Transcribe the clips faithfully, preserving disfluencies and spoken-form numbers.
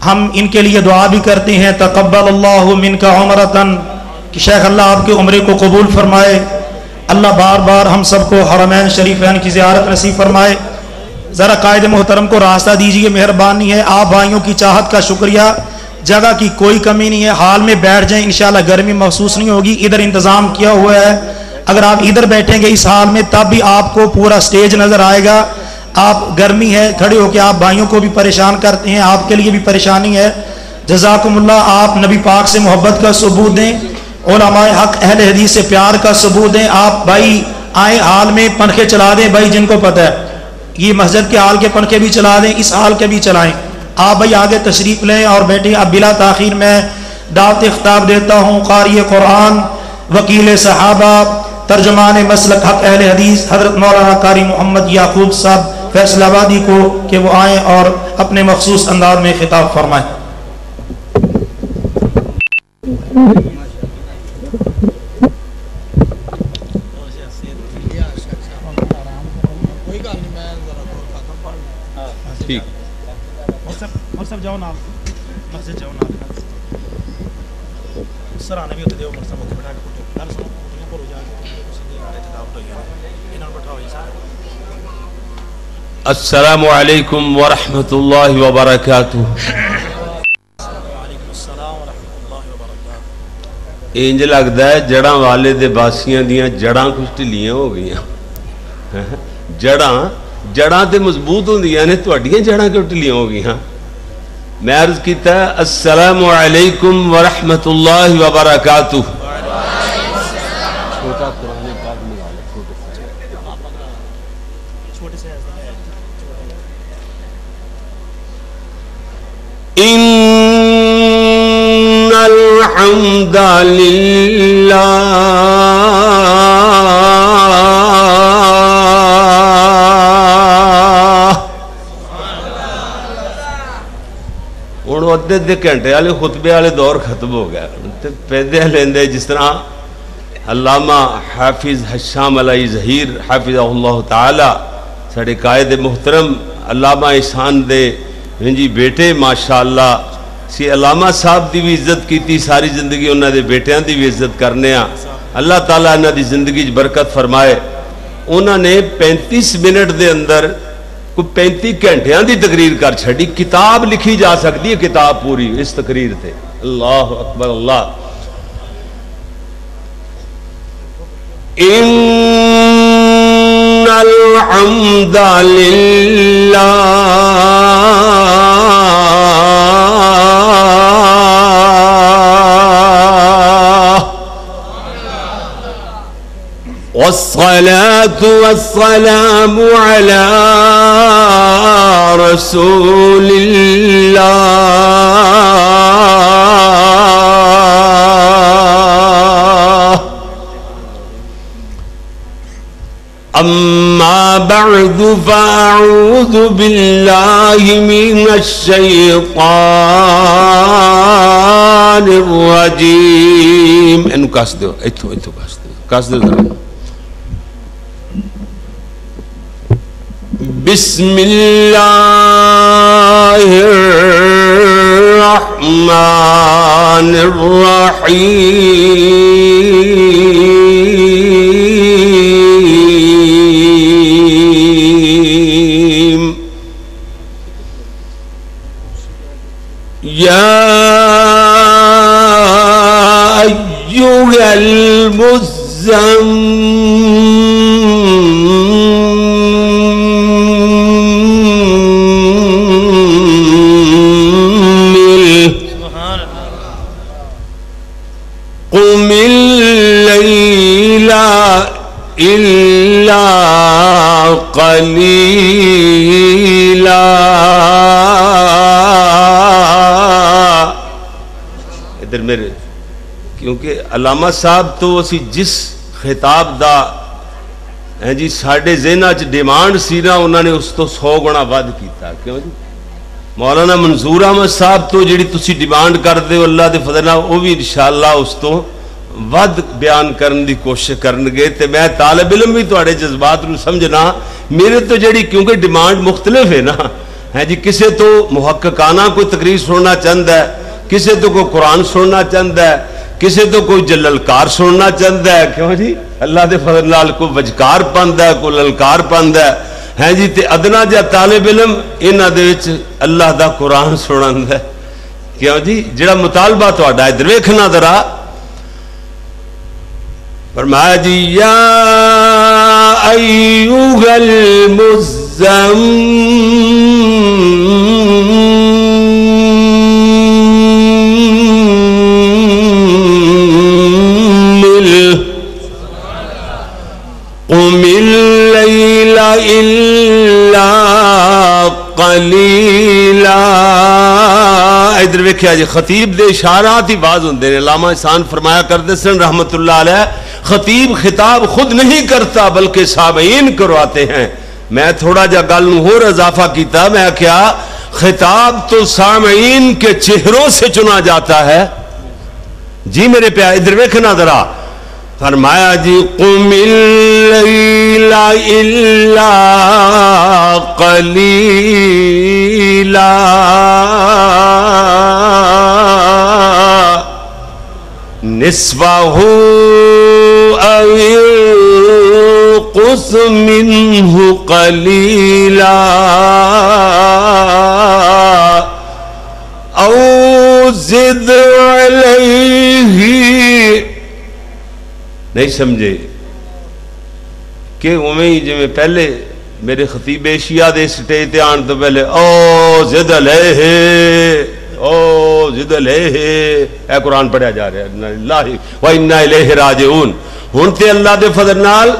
ہم ان کے لیے دعا بھی کرتے ہیں، تقبل اللہ منک عمرتن، کہ شیخ اللہ آپ کے عمرے کو قبول فرمائے۔ اللہ بار بار ہم سب کو حرمین شریفین کی زیارت نصیب فرمائے۔ ذرا قائد محترم کو راستہ دیجیے، مہربانی ہے۔ آپ بھائیوں کی چاہت کا شکریہ۔ جگہ کی کوئی کمی نہیں ہے، ہال میں بیٹھ جائیں، انشاءاللہ گرمی محسوس نہیں ہوگی۔ ادھر انتظام کیا ہوا ہے، اگر آپ ادھر بیٹھیں گے اس ہال میں، تب بھی آپ کو پورا سٹیج نظر آئے گا۔ آپ گرمی ہے، کھڑے ہو کے آپ بھائیوں کو بھی پریشان کرتے ہیں، آپ کے لیے بھی پریشانی ہے۔ جزاکم اللہ۔ آپ نبی پاک سے محبت کا ثبوت دیں، علماء حق اہل حدیث سے پیار کا ثبوت دیں۔ آپ بھائی آئیں، ہال میں پنکھے چلا دیں بھائی، جن کو پتہ ہے، یہ مسجد کے ہال کے پنکھے بھی چلا دیں، اس ہال کے بھی چلائیں۔ آپ بھائی آگے تشریف لیں اور بیٹھیں۔ اب بلا تاخیر میں دعوت خطاب دیتا ہوں قاری قرآن، وکیل صحابہ، ترجمان مسلک حق اہل حدیث حضرت مولانا قاری محمد یعقوب صاحب فیصل آبادی کو، کہ وہ آئیں اور اپنے مخصوص انداز میں خطاب فرمائیں۔ ٹھیک۔ مر صاحب، مر صاحب جاؤ نال، مسجد جاؤ نال۔ سرانے بھی اتنے دیو، مر صاحب اتنے بٹھا کے پوچھو۔ گل سنو، کٹیاں بھرو جا کے، تسی دے نال اتنے دعوت ہوئی ہے نا، انہاں نوں بٹھاؤ جی سارے۔ السلام علیکم ورحمۃ اللہ وبرکاتہ۔ وعلیکم السلام ورحمۃ اللہ وبرکاتہ۔ انج لگدا ہے جڑاں والے دے باسیاں دیاں جڑاں کچھ ڈھلیاں ہو گئیاں۔ جڑاں، جڑاں تے مضبوط ہوندیاں نے، تہاڈیاں جڑاں کیوں ڈھلیاں ہو گئیاں؟ میں عرض کیتا، السلام علیکم ورحمۃ اللہ وبرکاتہ۔ چھوٹا قرآن پاک منگا لو، چھوٹے سائز۔ ان الحمد للہ۔ ہن ادھے ادھے گھنٹے والے خطبے والے دور ختم ہو گیا۔ ہن تے پیدے لیندے، جس طرح علامہ حافظ ہشام علی ظہیر حافظہ اللہ تعالی، ساڈے قائد محترم علامہ احسان دے، ہاں جی، بیٹے، ماشاءاللہ، سی علامہ صاحب دی بھی عزت کیتی، ساری زندگی انہاں دے بیٹیاں دی بھی عزت کرنے آ۔ اللہ تعالیٰ انہاں دی زندگی چ برکت فرمائے۔ انہاں نے پینتیس منٹ دے اندر کوئی پینتی گھنٹیاں دی تقریر کر چھڈی۔ کتاب لکھی جا سکدی ہے، کتاب پوری اس تقریر تے۔ اللہ اکبر، اللہ۔ ان الحمد للہ۔ والصلاة والسلام على رسول الله۔ أما بعد، فأعوذ بالله من الشيطان الرجيم۔ اینوں کس دیو، ایتھوں، ایتھوں کس دیو، کس دیو ذرا۔ بسم اللہ الرحمن الرحیم۔ يا أيها المزمل، قم الليل إلا قليلا۔ ادھر میرے، کیونکہ علامہ صاحب تو اسی جس خطاب دا، ہیں جی، ساڈے ذہناں چ ڈیمانڈ سی نا، انہاں نے اس تو سو گنا ودھ کیتا۔ کیوں جی؟ مولانا منظور احمد صاحب تو جڑی تسی ڈیمانڈ کردے ہو، اللہ دے فضل نال او وی انشاءاللہ اس تو ودھ بیان کرن دی کوشش کرنگے۔ تے میں طالب علم وی تہاڈے جذبات نوں سمجھنا، میرے تو جڑی، کیونکہ ڈیمانڈ مختلف ہے نا، ہے جی، کسے تو محققانہ کوئی تقریر سننا چاہتا ہے، کسے تو کوئی قرآن سننا چاہتا ہے، کسے تو کوئی جللکار سننا چاہتا ہے۔ کیوں جی؟ اللہ دے فضل نال کوئی وجکار پاندا ہے، کوئی للکار پاندا ہے۔ ہے جی، تے ادنا جا طالب علم انہاں دے وچ اللہ دا قرآن سنندا ہے۔ کیوں جی؟ جڑا مطالبہ تہاڈا، ادھر ویکھنا ذرا۔ فرمایا جی، یا ایھا المزمل، قم اللیل الا قلیلا۔ ادھر ویکھیا جی، خطیب دے اشارات ہی باز ہوندے نے۔ علامہ احسان فرمایا کردے سن رحمت اللہ علیہ، خطیب خطاب خود نہیں کرتا بلکہ سامعین کرواتے ہیں۔ میں تھوڑا جا گل نوں ہور اضافہ کیتا، میں آکھیا، خطاب تو سامعین کے چہروں سے چنا جاتا ہے۔ جی میرے پیا، ادھر ویکھنا ذرا۔ فرمایا جی، قم اللیل الا قلیلا، نصفه او انقص منه قلیلا، او زد علیہ۔ نہیں سمجھے کہ اوویں ہی جویں پہلے میرے خطیب ایشیا دے سٹیج تے آن تو پہلے، او زد علیہ، او زد علیہ، اے قرآن پڑھیا جا رہا ہے، انا للہ و انا الیہ راجعون۔ ہن تے اللہ دے فضل نال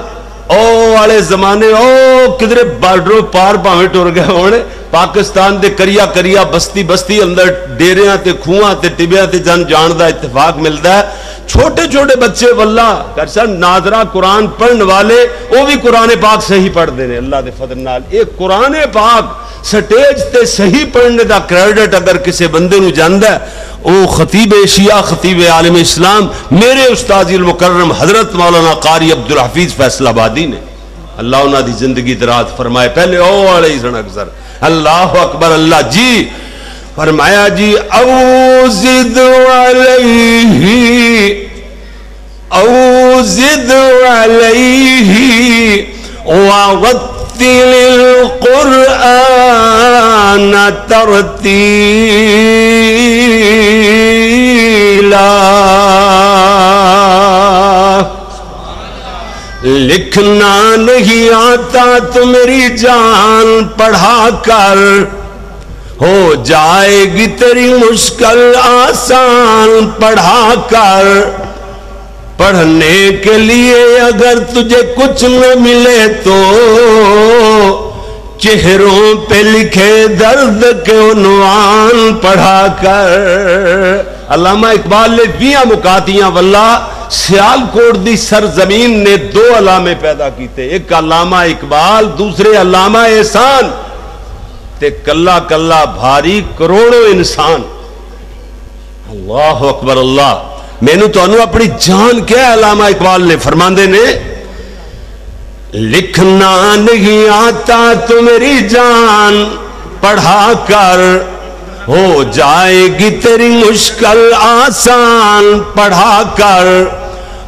او والے زمانے، او کدرے بارڈروں پار بھاویں ٹر گئے ہون، پاکستان دے کریا کریا، بستی بستی اندر، ڈیریاں تے، کھواں تے، ٹبیاں تے جن جان دا اتفاق ملدا ہے۔ چھوٹے چھوٹے بچے واللہ کر سن ناظرہ قرآن پڑھن والے، او بھی قرآن پاک صحیح پڑھدے نے اللہ دے فضل نال۔ اے قرآن پاک سٹیج تے صحیح پڑھنے دا کریڈٹ اگر کسے بندے نو جاندا ہے، او خطیب ایشیا، خطیب عالم اسلام، میرے استاد المکرم حضرت مولانا قاری عبدالحفیظ فیصل آبادی نے۔ اللہ انہاں دی زندگی دراز فرمائے۔ پہلے او والے ہی سن اکثر۔ اللہ اکبر، اللہ جی۔ فرمایا جی، او زد علیہ، او زد علیہ ورتل القرآن ترتیلا۔ لکھنا نہیں آتا تو میری جان پڑھا کر، ہو جائے گی تیری مشکل آسان پڑھا کر۔ پڑھنے کے لیے اگر تجھے کچھ نہ ملے تو چہروں پہ لکھے درد کے عنوان پڑھا کر۔ علامہ اقبال نے ویہاں مکاتیاں واللہ سیال کوٹ دی سرزمین نے دو علامے پیدا کیتے، ایک علامہ اقبال، دوسرے علامہ احسان۔ تے کلا کلا بھاری کروڑوں انسان۔ اللہ اکبر اللہ۔ مینوں تانوں اپنی جان کیا علامہ اقبال نے فرماندے نے، لکھنا نہیں آتا تو میری جان پڑھا کر، ہو جائے گی تیری مشکل آسان پڑھا کر۔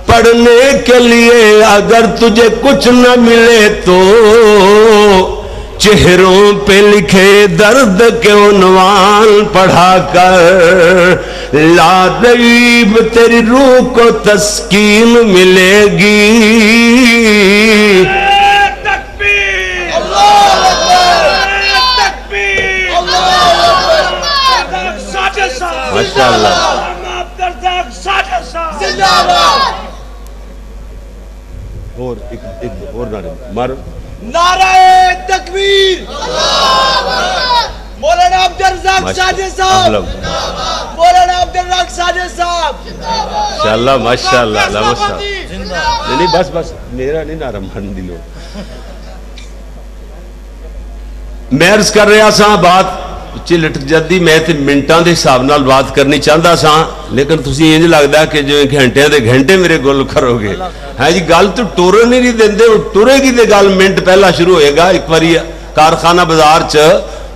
پڑھنے کے لیے اگر تجھے کچھ نہ ملے تو چہروں پہ لکھے درد کے عنوان پڑھا کر، لا ریب تیری روح کو تسکین ملے گی۔ تکبیر! اللہ اکبر! تکبیر! اللہ اکبر! ساٹھے سال! ماشاءاللہ۔ عبدالرزاق ساٹھے سال! زندہ باد! اور ایک، ایک اور نعرے مار۔ نعرہ تکبیر! مولانا عبدالرزاق ماشاء-، ساجد صاحب! الحمد۔ مولانا عبدالرزاق ساجد صاحب! ماشاءاللہ، ماشاءاللہ، علامہ صاحب۔ نہیں، نہیں، بس، بس، میرا نہیں نعرہ مارن دی لوڑ۔ میں عرض کر رہا سا، بات پچھے لٹک جاتی، میں تے منٹاں دے حساب نال بات کرنی چاہندا سا، لیکن تسی انج لگدا کہ جو گھنٹیاں دے گھنٹے میرے گل کرو گے۔ ہاں جی، گل تو ٹورن ہی نہیں دیندے، ہن ٹرے گی تے گل منٹ پہلا شروع ہوئے گا۔ ایک واری کارخانہ بازار چ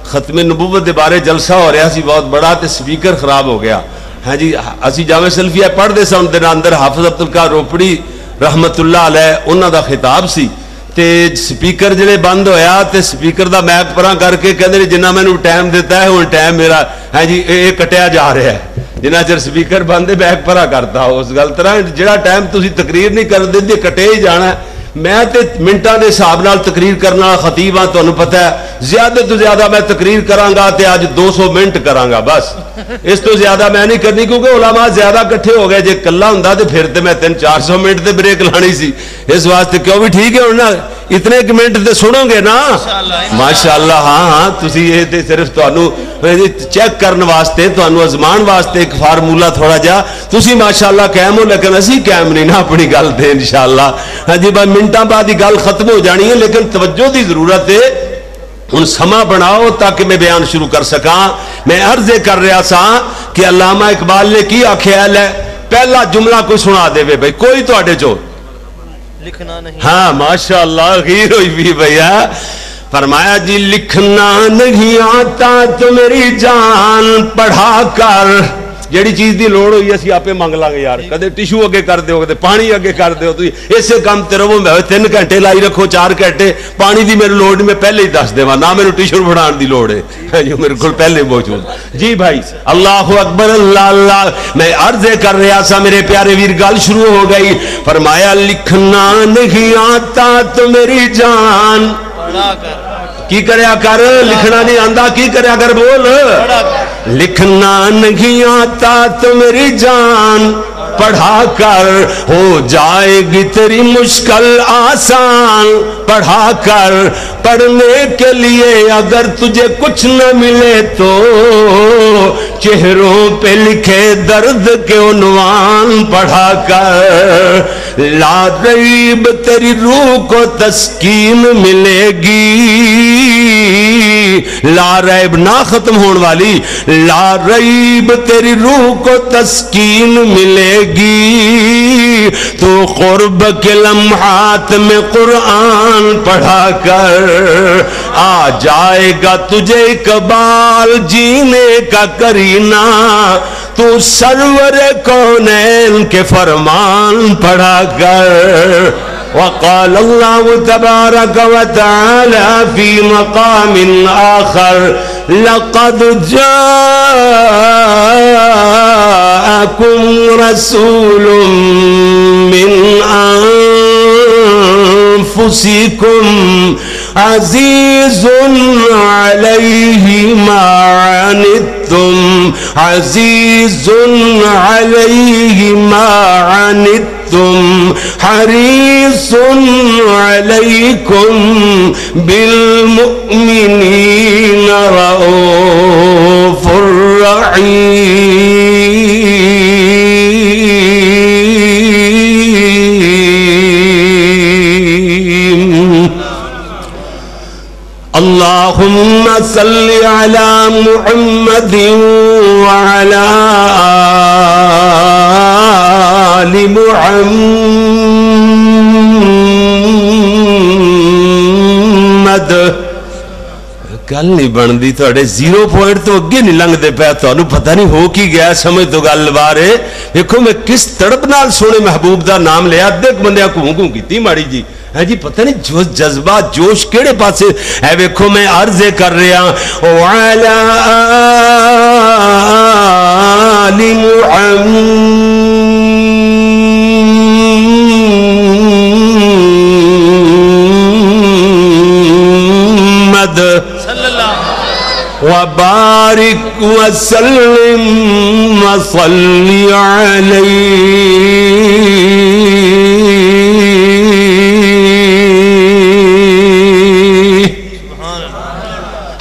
ختم نبوت دے بارے جلسہ ہو رہا سی بہت بڑا، تے سپیکر خراب ہو گیا۔ ہاں جی، اسی جامع سلفیہ پڑھدے سن، دے اندر حافظ عبدالقادر روپڑی رحمت اللہ علیہ انہاں دا خطاب سی، تے سپیکر جڑے بند ہویا تے سپیکر دا میک پراں کر کے کہندے نے، "جنہ مینوں ٹائم دتا ہے، ہن ٹائم میرا، ہاں جی، اے، اے کٹیا جا رہا ہے۔" جنہ چر سپیکر بند ہے، میک پرا کرتا۔ اس گل طرح جڑا ٹائم تسی تقریر نہیں کر دے، کٹے ہی جانا ہے۔ میں تے منٹاں دے حساب نال تقریر کرن والا خطیب ہاں، تانوں پتہ ہے، زیادہ تو زیادہ میں تقریر کراں گا تے اج دو سو منٹ کراں گا بس۔ اس تو زیادہ میں نہیں کرنی، کیونکہ علماء زیادہ اکٹھے ہو گئے۔ جے کلا ہوندا تے پھر تے میں تین چار سو منٹ تے بریک لانی سی۔ اس واسطے کیوں بھی ٹھیک ہے ہن نا، اتنے ایک منٹ تے سنو گے نا؟ ماشاءاللہ، ہاں، ہاں، تسی یہ تے صرف تانوں چیک کرن واسطے، تانوں آزمان واسطے ایک فارمولا تھوڑا جا۔ تسی ماشاءاللہ قائم ہو، لیکن اسی قائم نہیں نا اپنی گل تے، انشاءاللہ۔ ہاں جی، بس منٹاں بعد ہی گل ختم ہو جانی ہے، لیکن توجہ دی ضرورت ہے۔ ہن سما بناؤ تاکہ میں بیان شروع کر سکاں۔ میں عرض یہ کر رہا سا کہ علامہ اقبال نے کی آکھیا ہے، پہلا جملہ کوئی سنا دے بھائی، کوئی تہاڈے چوں؟ لکھنا نہیں۔ ہاں، ماشاءاللہ، غیر ہوئی بھی بھیا۔ فرمایا جی، "لکھنا نہیں آتا تو میری جان پڑھا کر۔" جیڑی چیز دی لوڑ ہوئی، اسی آپے منگ لاں گے یار۔ کدے ٹشو اگے کر دیو، کدے پانی اگے کر دیو۔ تسی اسے کام تے رہو، میں تین گھنٹے لائی رکھو، چار گھنٹے، پانی دی میرے لوڑ نہیں، میں پہلے ہی دس دیواں، نہ میرے ٹشو بنان دی لوڑ ہے۔ ہاں جی، میرے کول پہلے موجود۔ جی بھائی، اللہ اکبر، اللہ اللہ۔ میں عرض کر رہا سا، میرے پیارے ویر، گل شروع ہو گئی۔ فرمایا، "لکھنا نہیں آتا تو میری جان۔" کی کریا کر، لکھنا نہیں آندا، کی کریا کر، بول۔ لکھنا نہیں آتا تو میری جان پڑھا کر، ہو جائے گی تیری مشکل آسان۔ پڑھا کر، پڑھنے کے لیے اگر تجھے کچھ نہ ملے تو، چہروں پہ لکھے درد کے عنوان پڑھا کر۔ لا ریب تیری روح کو تسکین ملے گی، لا ریب نہ ختم ہون والی، لا ریب تیری روح کو تسکین ملے گی، تو قرب کے لمحات میں قرآن پڑھا کر، آ جائے گا تجھے اقبال جینے کا کرینہ، تو سرور کونین کے فرمان پڑھا کر۔ وقال الله تبارك وتعالى في مقام آخر، لقد جاءكم رسول من أنفسكم عزيز عليه ما عنتم، عزيز عليه ما عنتم، حريص عليكم بالمؤمنين رءوف رحيم۔ اللهم صل على محمد وعلى آل محمد۔ گل نہیں بندی، تہاڈے زیرو پوائنٹ تو اگے نہیں لنگدے پے، تہانوں پتہ نہیں ہو کی گیا، سمجھ تو گل باہر ہے۔ دیکھو میں کس تڑپ نال سونے محبوب دا نام لیا، ادھے بندیاں گھوں گھوں کیتی ماڑی جی۔ ہے جی، پتہ نہیں جو جذبہ، جوش کیڑے پاسے۔ اے ویکھو، میں عرض کر رہا، وعلی آل محمد۔ صلی اللہ۔ وبارك وسلم وصل عليه۔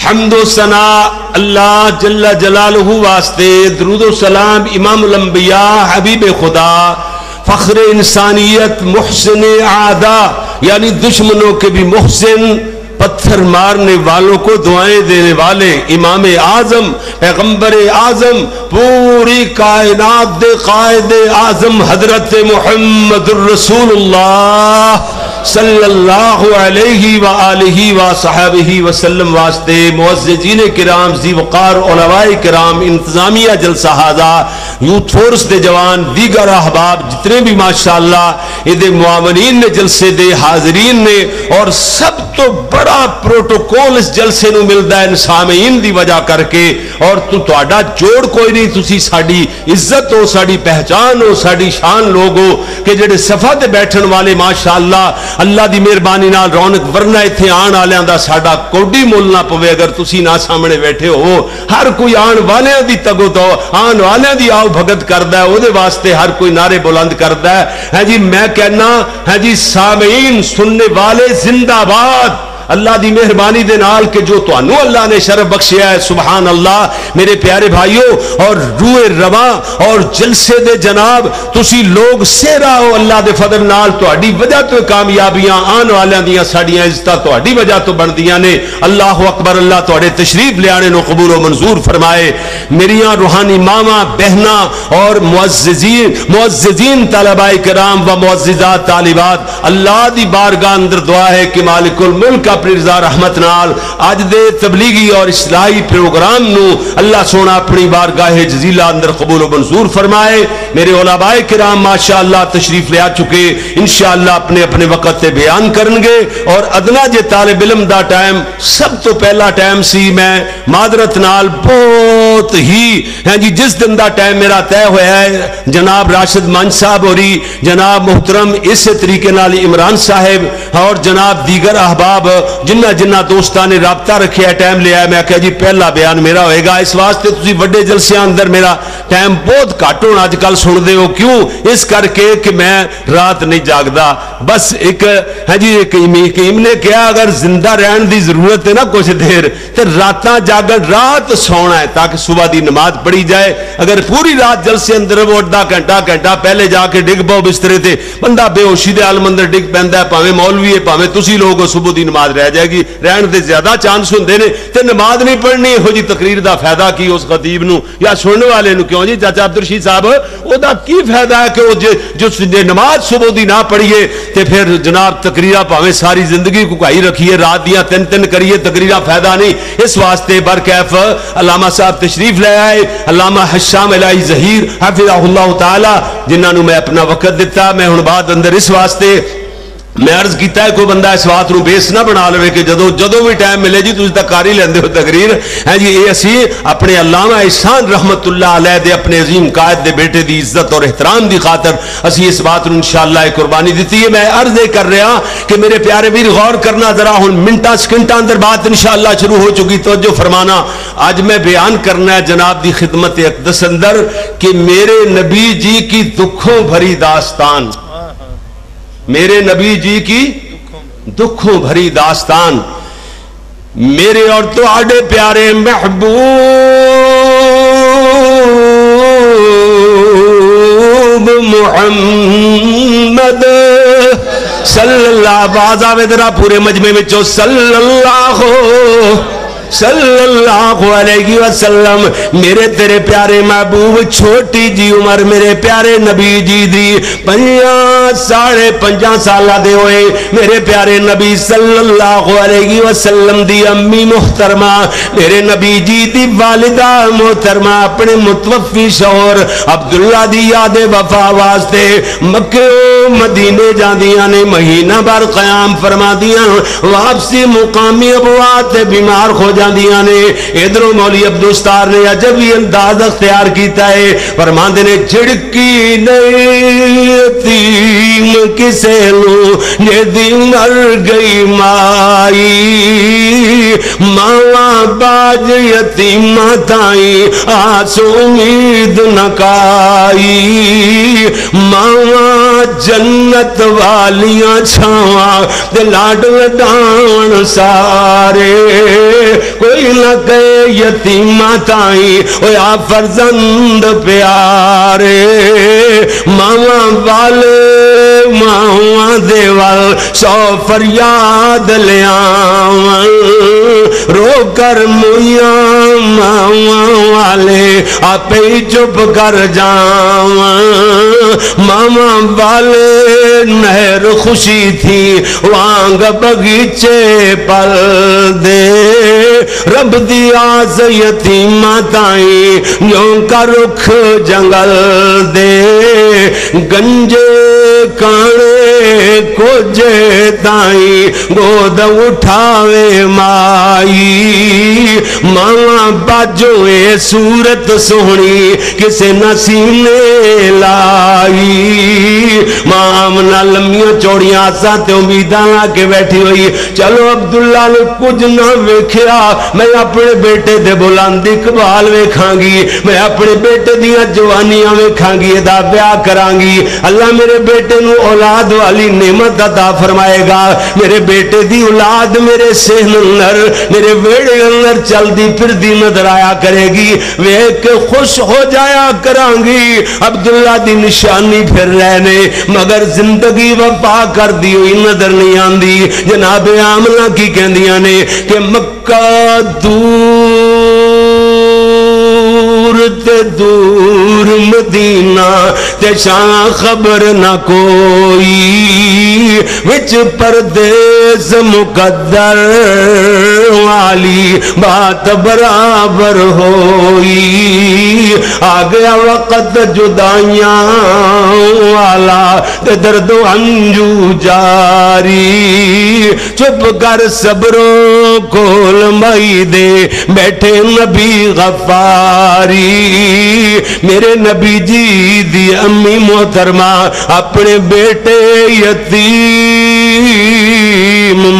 حمد و ثنا اللہ جل جلالہ واسطے، درود و سلام امام الانبیاء، حبیب خدا، فخر انسانیت، محسن اعداء، یعنی دشمنوں کے بھی محسن، پتھر مارنے والوں کو دعائیں دینے والے امام اعظم، پیغمبر اعظم، پوری کائنات دے قائد اعظم حضرت محمد الرسول اللہ۔ صلی اللہ علیہ وآلہ وصحبہ وسلم واسطے معززین کرام، ذی وقار علماء کرام، انتظامیہ جلسہ ہذا، یوتھ فورس دے جوان، دیگر احباب جتنے بھی ماشاءاللہ اے دے معاونین نے، جلسے دے حاضرین نے، اور سب تو بڑا پروٹوکول اس جلسے نو ملدا ہے ان سامعین دی وجہ کر کے۔ اور تو تہاڈا جوڑ کوئی نہیں، تسی ساڈی عزت ہو، ساڈی پہچان ہو، ساڈی شان لوگ ہو کہ جڑے صفا تے بیٹھن والے ماشاءاللہ اللہ دی مہربانی نال رونق، ورنہ ایتھے آن والیاں دا ساڈا کوڈی مول نہ پوے اگر تسی نہ سامنے بیٹھے ہو۔ ہر کوئی آن والیاں دی تگو تو، آن والیاں دی آؤ بھگت کردا ہے، او دے واسطے ہر کوئی نعرے بلند کردا ہے۔ ہاں جی، میں کہنا، ہاں جی، سامعین، سننے والے زندہ باد۔ اللہ دی مہربانی دے نال کہ جو تانوں اللہ نے شرف بخشیا ہے، سبحان اللہ۔ میرے پیارے بھائیو، اور روئے رواں اور جلسے دے جناب، تسی لوگ سہرا ہو، اللہ دے فضل نال تہاڈی وجہ تو کامیابیاں آن والیاں دیاں ساڈیاں عزتاں تہاڈی وجہ تو بندیاں نے۔ اللہ اکبر، اللہ تہاڈے تشریف لیانے نو قبول و منظور فرمائے۔ میریاں روحانی ماواں، بہناں اور معززین، معززین طلباء کرام و معززات طالبات، اللہ دی بارگاہ اندر دعا ہے کہ مالک الملک اپنی رضا رحمت نال اج دے تبلیغی اور اصلاحی پروگرام نو اللہ سونا اپنی بارگاہ جزیلہ اندر قبول و منظور فرمائے۔ میرے علماء کرام ماشاءاللہ تشریف لے آ چکے، انشاءاللہ اپنے اپنے وقت تے بیان کرنگے۔ اور ادنا جے طالب علم دا ٹائم، سب تو پہلا ٹائم سی، میں معذرت نال بہت ہی، ہاں جی، جس دن دا ٹائم میرا طے ہویا ہے، جناب راشد منج صاحب ہوری، جناب محترم اسی طریقے نال عمران صاحب اور جناب دیگر احباب، جنہ جنہ دوستاں نے رابطہ رکھیا، ٹائم لیا، میں کہا جی پہلا بیان میرا ہوئے گا۔ اس واسطے تسی وڈے جلسیاں اندر میرا ٹائم بہت گھٹ ہونا اج کل سن دے ہو۔ کیوں؟ اس کر کے کہ میں رات نہیں جاگدا۔ بس ایک، ہاں جی، ایک حکیم نے کہا، اگر زندہ رہن دی ضرورت ہے نا کچھ دیر، تے راتاں جاگن، رات سونا ہے تاکہ صبح دی نماز پڑھی جائے۔ اگر پوری رات جلسے اندر وہ ادھا گھنٹہ، گھنٹہ پہلے جا کے ڈگ پاؤ بسترے تے، بندہ بے ہوشی دے عالم اندر ڈگ پیندا ہے، بھاویں مولوی ہے، بھاویں تسی لوگ ہو، صبح دی نماز رہ جائے گی، رہن دے زیادہ چانس ہوندے نے۔ تے نماز نہیں پڑھنی، ایہو جی تقریر دا فائدہ کی اس خطیب نو یا سنن والے نو؟ کیوں جی چاچا عبدالرشید صاحب، او دا کی فائدہ ہے کہ او جے، جو س-، جے نماز صبح دی نہ پڑھیے تے پھر جناب تقریراں بھاویں ساری زندگی کو کھائی رکھیے، رات دیاں تن تن کریے، تقریراں فائدہ نہیں۔ اس واسطے برکیف علامہ صاحب تشریف لے آئے، علامہ ہشام الہی ظہیر حفظہ اللہ تعالی، جنہاں نوں میں اپنا وقت دتا۔ میں ہن بعد اندر اس واسطے میں عرض کیتا ہے، کوئی بندہ اس بات نوں بیس نہ بنا لوے کہ جدوں، جدوں بھی ٹائم ملے جی، تسی تاں کر ہی لیندے ہو تقریر۔ ہیں جی، اے اسی اپنے علامہ احسان رحمت اللہ علیہ دے، اپنے عظیم قائد دے بیٹے دی عزت اور احترام دی خاطر اسی اس بات نوں انشاءاللہ اے قربانی دتی ہے۔ میں عرض اے کر رہا کہ میرے پیارے ویر، غور کرنا ذرا، ہن منٹاں سیکنڈاں اندر بات انشاءاللہ شروع ہو چکی، توجہ فرمانا۔ اج میں بیان کرنا ہے جناب دی خدمت اقدس اندر کہ میرے نبی جی کی دکھوں بھری داستان، میرے نبی جی کی دکھوں بھری داستان، میرے اور تہاڈے پیارے محبوب محمد صلی اللہ، آواز آوے ذرا پورے مجمع وچوں، صلی اللہ، صلی اللہ علیہ وسلم۔ میرے تیرے پیارے محبوب، چھوٹی جی عمر میرے پیارے نبی جی دی، پنجاں، ساڑھے پنجاں سالہ دے ہوئے میرے پیارے نبی صلی اللہ علیہ وسلم دی امی محترمہ، میرے نبی جی دی والدہ محترمہ اپنے متوفی شوہر عبداللہ دی یاد وفا واسطے مکے و مدینے جاندیاں نے، مہینہ بھر قیام فرماندیاں، واپسی مقامی ابوا تے بیمار ہو جاندیاں نے۔ ادھروں مولوی عبدالستار نے عجب ہی انداز اختیار کیتا ہے، فرماندے نے، جھڑکی نہیں یتیم کسے نوں، جے دی مر گئی مائی، ماواں باج یتیماں تائیں آس امید نہ کائی۔ ماواں جنت والیاں چھاواں تے لاڈ لڈان سارے، کوئی نہ کہے یتیماں تائیں، ہویا فرزند پیارے۔ ماواں والے ماواں دے ول سو فریاد لیاون، رو کر مویاں ماواں والے، آپے ہی چپ کر جاون۔ ماواں والے نہر خوشی تھی وانگ بغیچے پل دے، رب دی آس یتیماں تائیں، یوں کا رخ جنگل دے۔ گنجے کانے کوجے تائیں، گود اٹھاوے مائی۔ ماواں باجو اے صورت سوہنی، کسے نہ سینے لائی۔ ماں آمنہ لمیاں چوڑیاں آساں تے امیداں لا کے بیٹھی ہوئی۔ چلو عبداللہ نے کچھ نہ ویکھیا، میں اپنے بیٹے دے بلند اقبال ویکھاں گی، میں اپنے بیٹے دیاں جوانیاں ویکھاں گی، ادا بیاہ کراں گی۔ اللہ میرے بیٹے نو اولاد والی نعمت عطا فرمائے گا۔ میرے بیٹے دی اولاد میرے سہن اندر، میرے ویڑے اندر چلدی پھردی نظر آیا کرے گی۔ ویکھ کے خوش ہو جایا کراں گی۔ عبداللہ دی نشانی پھر رہے نے، مگر زندگی وفا کردی ہوئی نظر نہیں آندی۔ جناب آمنہ کی کہندیاں نے کہ مکہ دور تے دور مدینہ، تے شاں خبر نہ کوئی، وچ پردیس مقدر والی بات برابر ہوئی۔ آ گیا وقت جدائیاں والا تے درد و انجو جاری، چپ کر صبروں کول مائی دے بیٹھے نبی غفاری۔ میرے نبی جی دی امی محترمہ اپنے بیٹے یتیم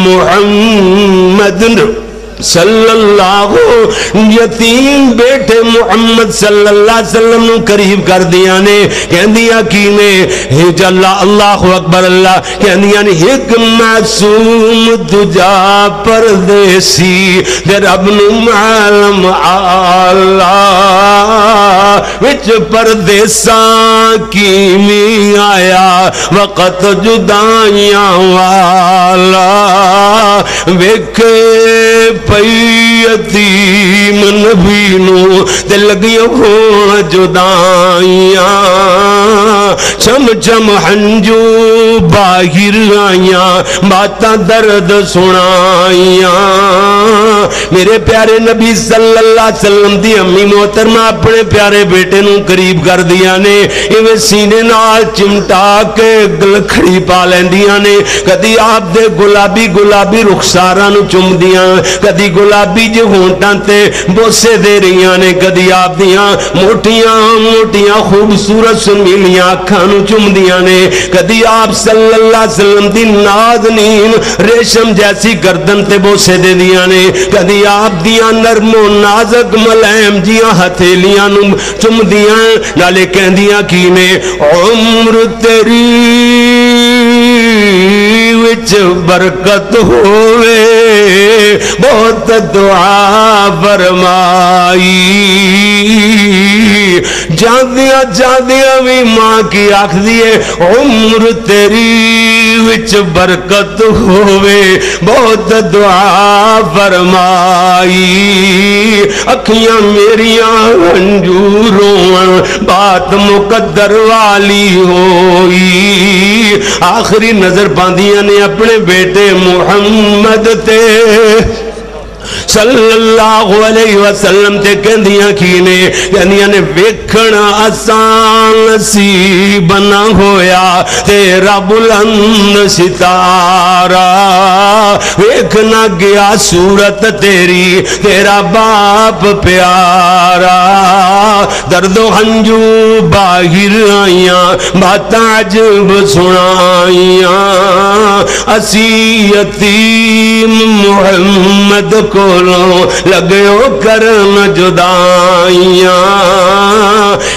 محمد صلی اللہ، یتیم بیٹے محمد صلی اللہ علیہ وسلم نو قریب کر دیا نے، کہندیاں کی نے، ہے جلا اللہ اکبر اللہ، کہندیاں نے، ایک معصوم دجا پردیسی، تے رب نو معلوم آلہ، وچ پردیساں کیویں آیا وقت جدائیاں والا۔ ویکھے پئی یتیم نبی نو تے لگیاں ہون جدائیاں، چم چم ہنجو باہر آئیاں، باتاں درد سنائیاں۔ میرے پیارے نبی صلی اللہ علیہ وسلم دی امی محترمہ اپنے پیارے بیٹے نوں قریب کر دیاں نے، ایویں سینے نال چمٹا کے گلکھڑی پا لیندیاں نے۔ کدی آپ دے گلابی گلابی رخساراں نوں چمدیاں، کدی گلابی جے ہونٹاں تے بوسے دے رہیاں نے، کدی آپ دیاں موٹیاں موٹیاں خوبصورت سمیلیاں اکھاں نوں چمدیاں نے، کدی آپ صلی اللہ علیہ وسلم دی نازنین ریشم جیسی گردن تے بوسے دے دیاں نے، کدی آپ دیاں نرم و نازک ملائم جیاں ہتھیلیاں نوں چمدیاں، نالے کہندیاں کی نے، عمر تیری وچ برکت ہووے، بہت دعا فرمائی۔ جاندیاں جاندیاں وی ماں کی آکھدی ہے، عمر تیری وچ برکت ہووے، بہت دعا فرمائی۔ اکھیاں میریاں ہنجو رون، بات مقدر والی ہوئی۔ آخری نظر پاندیاں نے اپنے بیٹے محمد تے صلی اللہ علیہ وسلم تے، کہندیاں کی نے؟ کہندیاں نے، ویکھن آسان نصیب نہ ہویا تیرا بلند ستارہ، ویکھ نہ گیا صورت تیری تیرا باپ پیارا۔ درد و ہنجو باہر آئیاں، باتاں عجب سنائیاں۔ اسی یتیم محمد کولوں لگیو کرن جدائیاں۔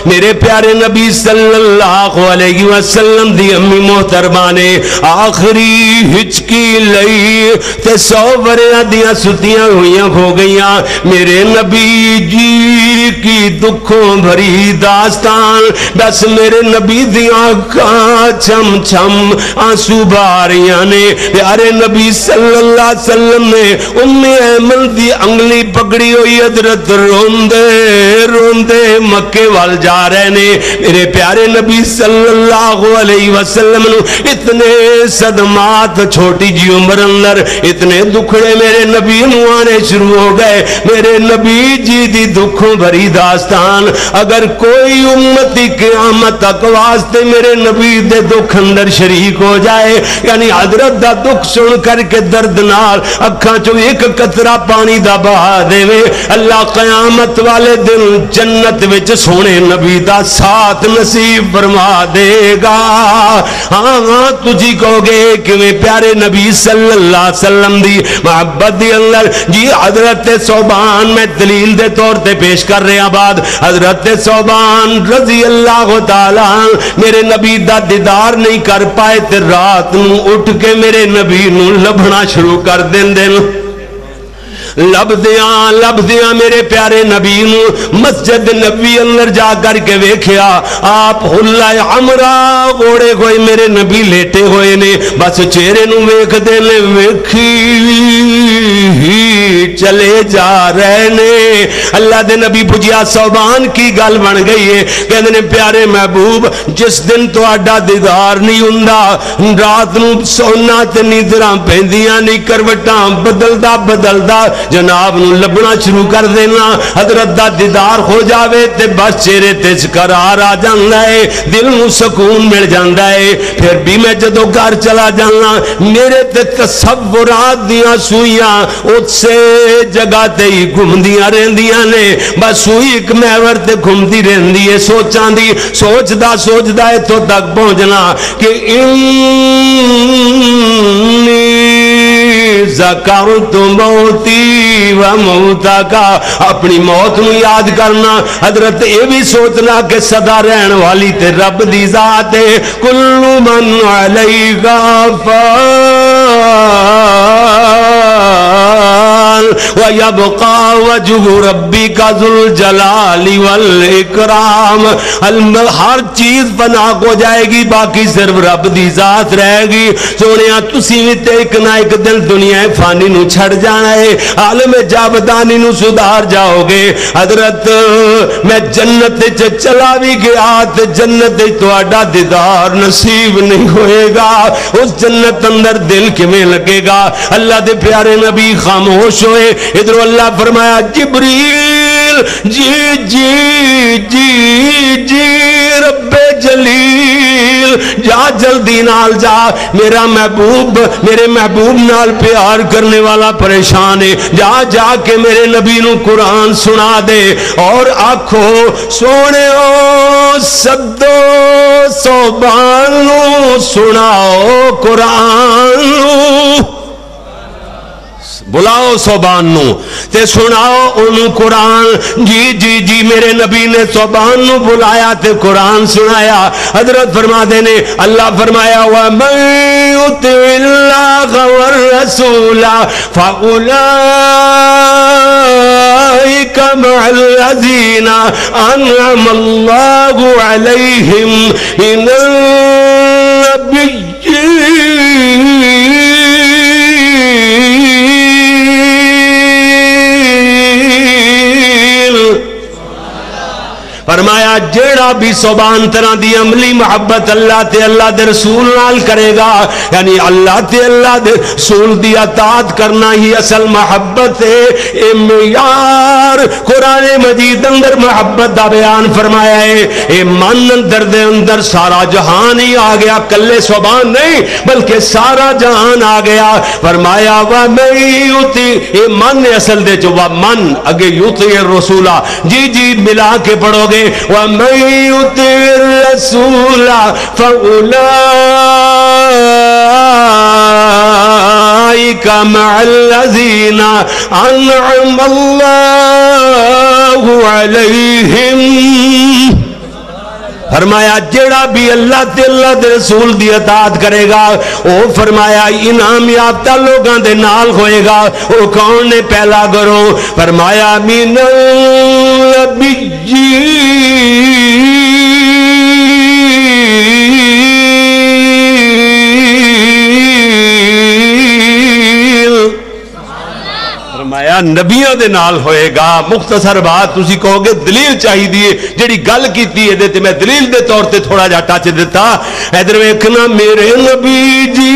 میرے پیارے نبی صلی اللہ علیہ وسلم دی امی محترمہ نے آخری ہچکی لئی تے سو وریاں دیاں ستیاں ہوئیاں ہو گئیاں۔ میرے نبی جی کی دکھوں بھری داستان، بس میرے نبی دیاں اکھاں چھم چھم آنسو بہا رہیاں نے۔ پیارے نبی صلی اللہ علیہ وسلم نے ام ایمن دی انگلی پکڑی ہوئی، حضرت روندے روندے مکے وال جا رہے نے۔ میرے پیارے نبی صلی اللہ علیہ وسلم نو اتنے صدمات چھوٹی جی عمر اندر، اتنے دکھڑے میرے نبی نو آنے شروع ہو گئے۔ میرے نبی جی دی دکھوں بھری داستان، اگر کوئی امتی قیامت تک واسطے میرے نبی دے دکھ اندر شریک ہو جائے، یعنی حضرت دا دکھ سن کر کے درد نال اکھاں چوں ایک قطرہ پانی دا بہا دے، اللہ قیامت والے دن جنت وچ سونے نبی دا ساتھ نصیب فرما دے گا۔ ہاں، ہاں، تسی کہو گے، "کیویں پیارے نبی صلی اللہ علیہ وسلم دی محبت دے اندر؟" جی، حضرت ثوبان، میں دلیل دے طور تے پیش کر رہا۔ بعد حضرت ثوبان رضی اللہ تعالیٰ عنہ میرے نبی دا دیدار نہیں کر پائے تے رات نوں اٹھ کے میرے نبی نوں لبھنا شروع کر دیندے نے۔ لبھدیاں لبھدیاں میرے پیارے نبی نوں مسجد نبوی اندر جا کر کے ویکھیا، آپ حلہ حمرا اوڑھے ہوئے میرے نبی لیٹے ہوئے نے، بس چہرے نوں ویکھدے نے، ویکھی ہی چلے جا رہے نے۔ اللہ دے نبی پوچھیا، "ثوبان، کی گل بن گئی ہے؟" کہندے نے، "پیارے محبوب، جس دن تہاڈا دیدار نہیں ہوندا، رات نوں سونا تے نیندراں پیندیاں نہیں، کروٹاں بدلدا بدلدا جناب نوں لبھنا شروع کر دینا۔ حضرت دا دیدار ہو جاوے تے بس چہرے تے قرار آ جاندا ہے، دل نوں سکون مل جاندا ہے۔ پھر بھی میں جدوں گھر چلا جانا، میرے تے تصورات دیاں سوئیاں اسے جگہ تے ہی گھومدیاں رہندیاں نے، بس سوئی ایک محور تے گھومدی رہندی ہے، سوچاں دی، سوچدا سوچدا اتھوں تک پہنچنا کہ انی ذکرت موتی و موتک، اپنی موت نو یاد کرنا، حضرت یہ بھی سوچنا کہ سدا رہن والی تے رب دی ذات ہے۔ کل من علیہا فان ویبقی وجہ ربک ذو الجلال والاکرام۔ الم-، ہر چیز فنا ہو جائے گی، باقی صرف رب دی ذات رہے گی۔ سونیا، تسی وی تے ایک نہ ایک دن دنیا فانی نو چھڑ جانا ہے، عالم جاودانی نو سدھار جاؤ گے۔ حضرت، میں جنت وچ چلا بھی گیا تے جنت وچ تہاڈا دیدار نصیب نہیں ہوئے گا۔ اس جنت اندر دل کیویں لگے گا؟ اللہ دے پیارے نبی خاموش ہوئے۔ ادھروں اللہ فرمایا، جبریل، جی، جی، جی، جی، رب جلیل، جا جلدی نال جا، میرا محبوب، میرے محبوب نال پیار کرنے والا پریشان ہے، جا، جا کے میرے نبی نو قرآن سنا دے اور آکھو، سونےو، سدو صوبان نو، سناؤ قرآن نو۔ بلاؤ صوبان نو تے سناؤ اونوں قرآن۔ جی، جی، جی، میرے نبی نے صوبان نو بلایا تے قرآن سنایا۔ حضرت فرما دے نے، اللہ فرمایا، وَمَن يُطِعِ اللَّهَ وَالرَّسُولَ فَأُولَٰئِكَ مَعَ الَّذِينَ أَنْعَمَ اللَّهُ عَلَيْهِم مِّنَ النَّبِيِّينَ فرمایا، جیڑا بھی سبحان طرح دی عملی محبت اللہ تے اللہ دے رسول نال کرے گا، یعنی اللہ تے اللہ دے رسول دی اطاعت کرنا ہی اصل محبت ہے۔ اے معیار قرآن مجید اندر محبت دا بیان فرمایا ہے۔ اے من اندر دے اندر سارا جہان ہی آ گیا، کلے سبحان نہیں بلکہ سارا جہان آ گیا۔ فرمایا، وَمَن يُطِعِ، اے من اصل دے جو وَمَن، اگے يُطِعِ الرَّسُولَ، جی جی ملا کے پڑھو گے، وَمَن يُطِعِ الرَّسُولَ فَأُولَٰئِكَ مَعَ الَّذِينَ أَنْعَمَ اللَّهُ عَلَيْهِم فرمایا، جیڑا بھی اللہ تے اللہ دے رسول دی اطاعت کرے گا، او، فرمایا، انعام یافتہ لوگاں دے نال ہوئے گا۔ او کون نے؟ پہلا گروہ۔ فرمایا، من النبیین۔ فرمایا، نبیاں دے نال ہوئے گا۔ مختصر بات، تسی کہو گے دلیل چاہیے، جڑی گل کیتی ہے، تے میں دلیل دے طور تے تھوڑا جہا ٹچ دتا۔ ادھر ویکھنا، میرے نبی جی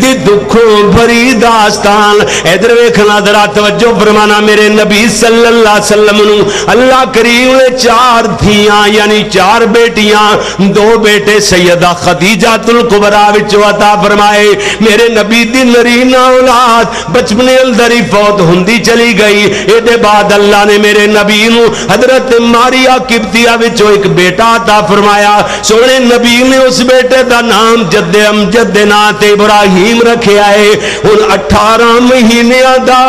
دی دکھوں بھری داستان۔ ادھر ویکھنا، ذرا توجہ فرمانا، میرے نبی صلی اللہ علیہ وسلم نو اللہ کریم نے چار دھیاں، یعنی چار بیٹیاں، دو بیٹے سیدہ خدیجہ الکبریٰ وچوں عطا فرمائے۔ میرے نبی دی نرینہ اولاد بچپنے اندر ہی فوت ہوندی چلی گئی۔ اے دے بعد اللہ نے میرے نبی نو حضرت ماریا قبطیہ وچوں ایک بیٹا عطا فرمایا۔ سونے نبی نے اس بیٹے دا نام جد امجد دے نام تے ابراہیم رکھیا ہے۔ ہن اٹھارہ مہینیاں دا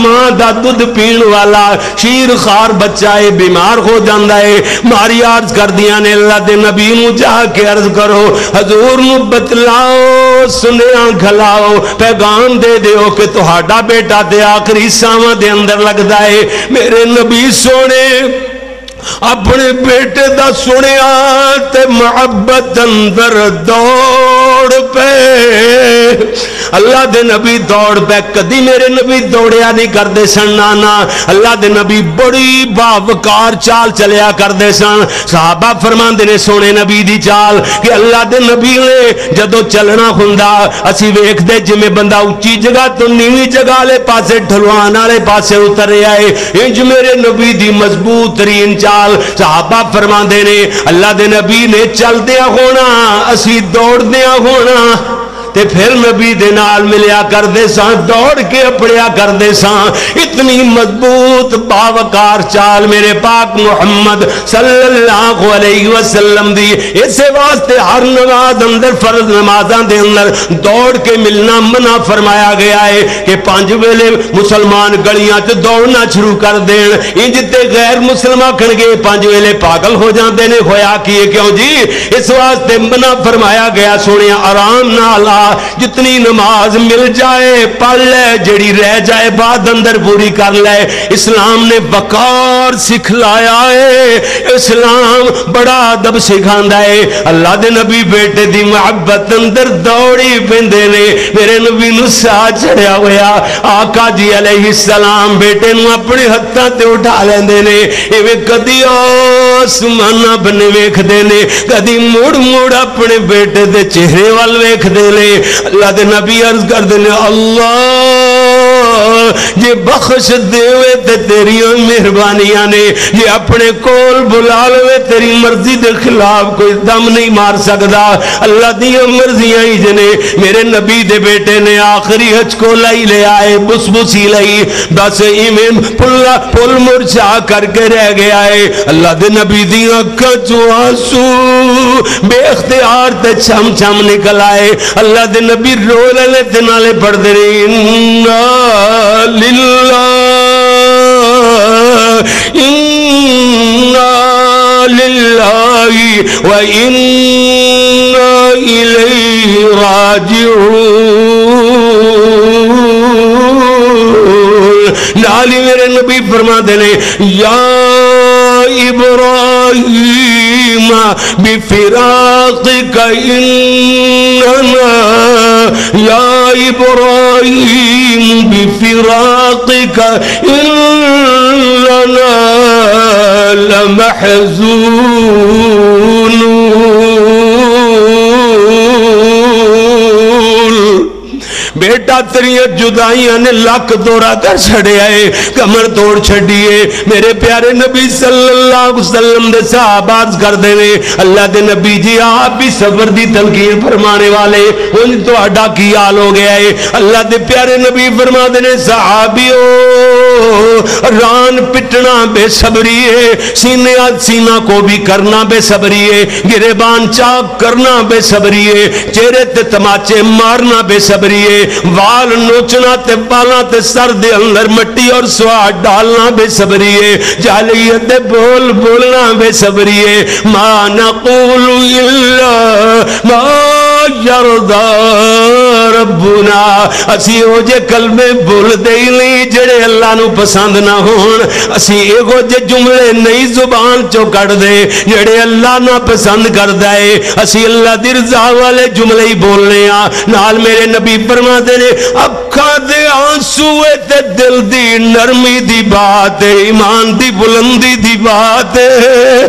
ماں دا دودھ پین والا شیر خوار بچہ ہے، بیمار ہو جاندا ہے۔ ماریا عرض کردیاں نے، اللہ دے نبی نو جا کے عرض کرو، حضور نو بتلاؤ، سنیہا گھلاؤ، پیغام دے دیو کہ تہاڈا بیٹا تے آخری ساواں دے اندر لگدا ہے۔ میرے نبی سونے اپنے بیٹے دا سنیا تے محبت اندر دوڑ پے۔ اللہ دے نبی دوڑ پے۔ کدی میرے نبی دوڑیا نہیں کردے سن، نہ، نہ۔ اللہ دے نبی بڑی باوقار چال چلیا کردے سن۔ صحابہ فرماندے نے، سونے نبی دی چال، کہ اللہ دے نبی نے جدوں چلنا ہوندا، اسی ویکھدے جویں بندہ اچی جگہ تو نیوی جگہ والے پاسے، ڈھلوان والے پاسے اتر رہا ہے۔ انج میرے نبی دی مضبوط ترین چال۔ صحابہ فرماندے نے، اللہ دے نبی نے چلدیا ہونا، اسی دوڑدیا ہونا، تے پھر نبی دے نال ملیا کردے ساں، دوڑ کے اپڑیا کردے ساں۔ اتنی مضبوط باوقار چال میرے پاک محمد صلی اللہ علیہ وسلم دی۔ اسے واسطے ہر نماز اندر، فرض نمازاں دے اندر دوڑ کے ملنا منع فرمایا گیا ہے کہ پنج ویلے مسلمان گلیاں چ دوڑنا شروع کر دین۔ انج تے غیر مسلم آکھن گے، پنج ویلے پاگل ہو جاندے نے، ہویا کی ہے؟ کیوں جی؟ اس واسطے منع فرمایا گیا۔ سونے آرام نال آ، جتنی نماز مل جائے پڑھ لے، جڑی رہ جائے بعد اندر پوری کر لے۔ اسلام نے وقار سکھلایا ہے، اسلام بڑا ادب سکھاندا ہے۔ اللہ دے نبی بیٹے دی محبت اندر دوڑی پیندے نے۔ میرے نبی نو ساہ چڑھیا ہویا، آقا جی علیہ السلام بیٹے نو اپنے ہتھاں تے اٹھا لیندے نے۔ ایویں کدی آسماناں بنے ویکھدے نے، کدی مڑ مڑ اپنے بیٹے دے چہرے ول ویکھدے نے۔ اللہ دے نبی عرض کردے نے، اللہ جے بخش دیوے تے تیریاں مہربانیاں نے، جے اپنے کول بلا لوے تیری مرضی دے خلاف کوئی دم نہیں مار سکدا۔ اللہ دیاں مرضیاں ہی جنے۔ میرے نبی دے بیٹے نے آخری ہچکو لائی لے آئے، بس بسی لائی، بس ایویں پلا پل مرچا کر کے رہ گیا ہے۔ اللہ دے نبی دیاں اکھاں چوں آنسو بے اختیار تے چھم چھم نکل آئے۔ اللہ دے نبی رو لینے تے نالے پڑھ دے رہے، انا للہ، انا للہ و انا الیہ راجعون۔ نال ہی میرے نبی فرما دے نے، یا ابراہیم، بفراقك إننا، يا إبراهيم، بفراقك إننا لمحزونون۔ بیٹا، تیریاں جدائیاں نے لک دورہ کر چھڑیا ہے، کمر توڑ چھڈی ہے۔ میرے پیارے نبی صلی اللہ علیہ وسلم دے صحابہ عرض کردے نے، اللہ دے نبی جی، آپ بھی صبر دی تلقین فرمانے والے، انج تہاڈا کی حال ہو گیا ہے؟ اللہ دے پیارے نبی فرما دے نے، صحابیو، ران پٹنا بے صبری ہے، سینے سینہ کو بھی کرنا بے صبری ہے، گریبان چاک کرنا بے صبری ہے، چہرے تے تماچے مارنا بے صبری ہے، وال نوچنا تے بالاں تے سر دے اندر مٹی اور سواد ڈالنا بے صبری ہے۔ جاہلیت دے بول بولنا بے صبری ہے۔ ما نقول الا ما یرضی ربنا۔ اسی او جے کلمے بولدے ہی نہیں جڑے اللہ نو پسند نہ ہون۔ اسی ایہو جے جملے نہیں زبان چوں کڈ دے جڑے اللہ نہ پسند کردا ہے۔ اسی اللہ دی رضا والے جملے ہی بولنے آ۔ نال میرے نبی فرما دے نے، اکھاں دے آنسو اے تے دل دی نرمی دی بات ہے، ایمان دی بلندی دی بات ہے۔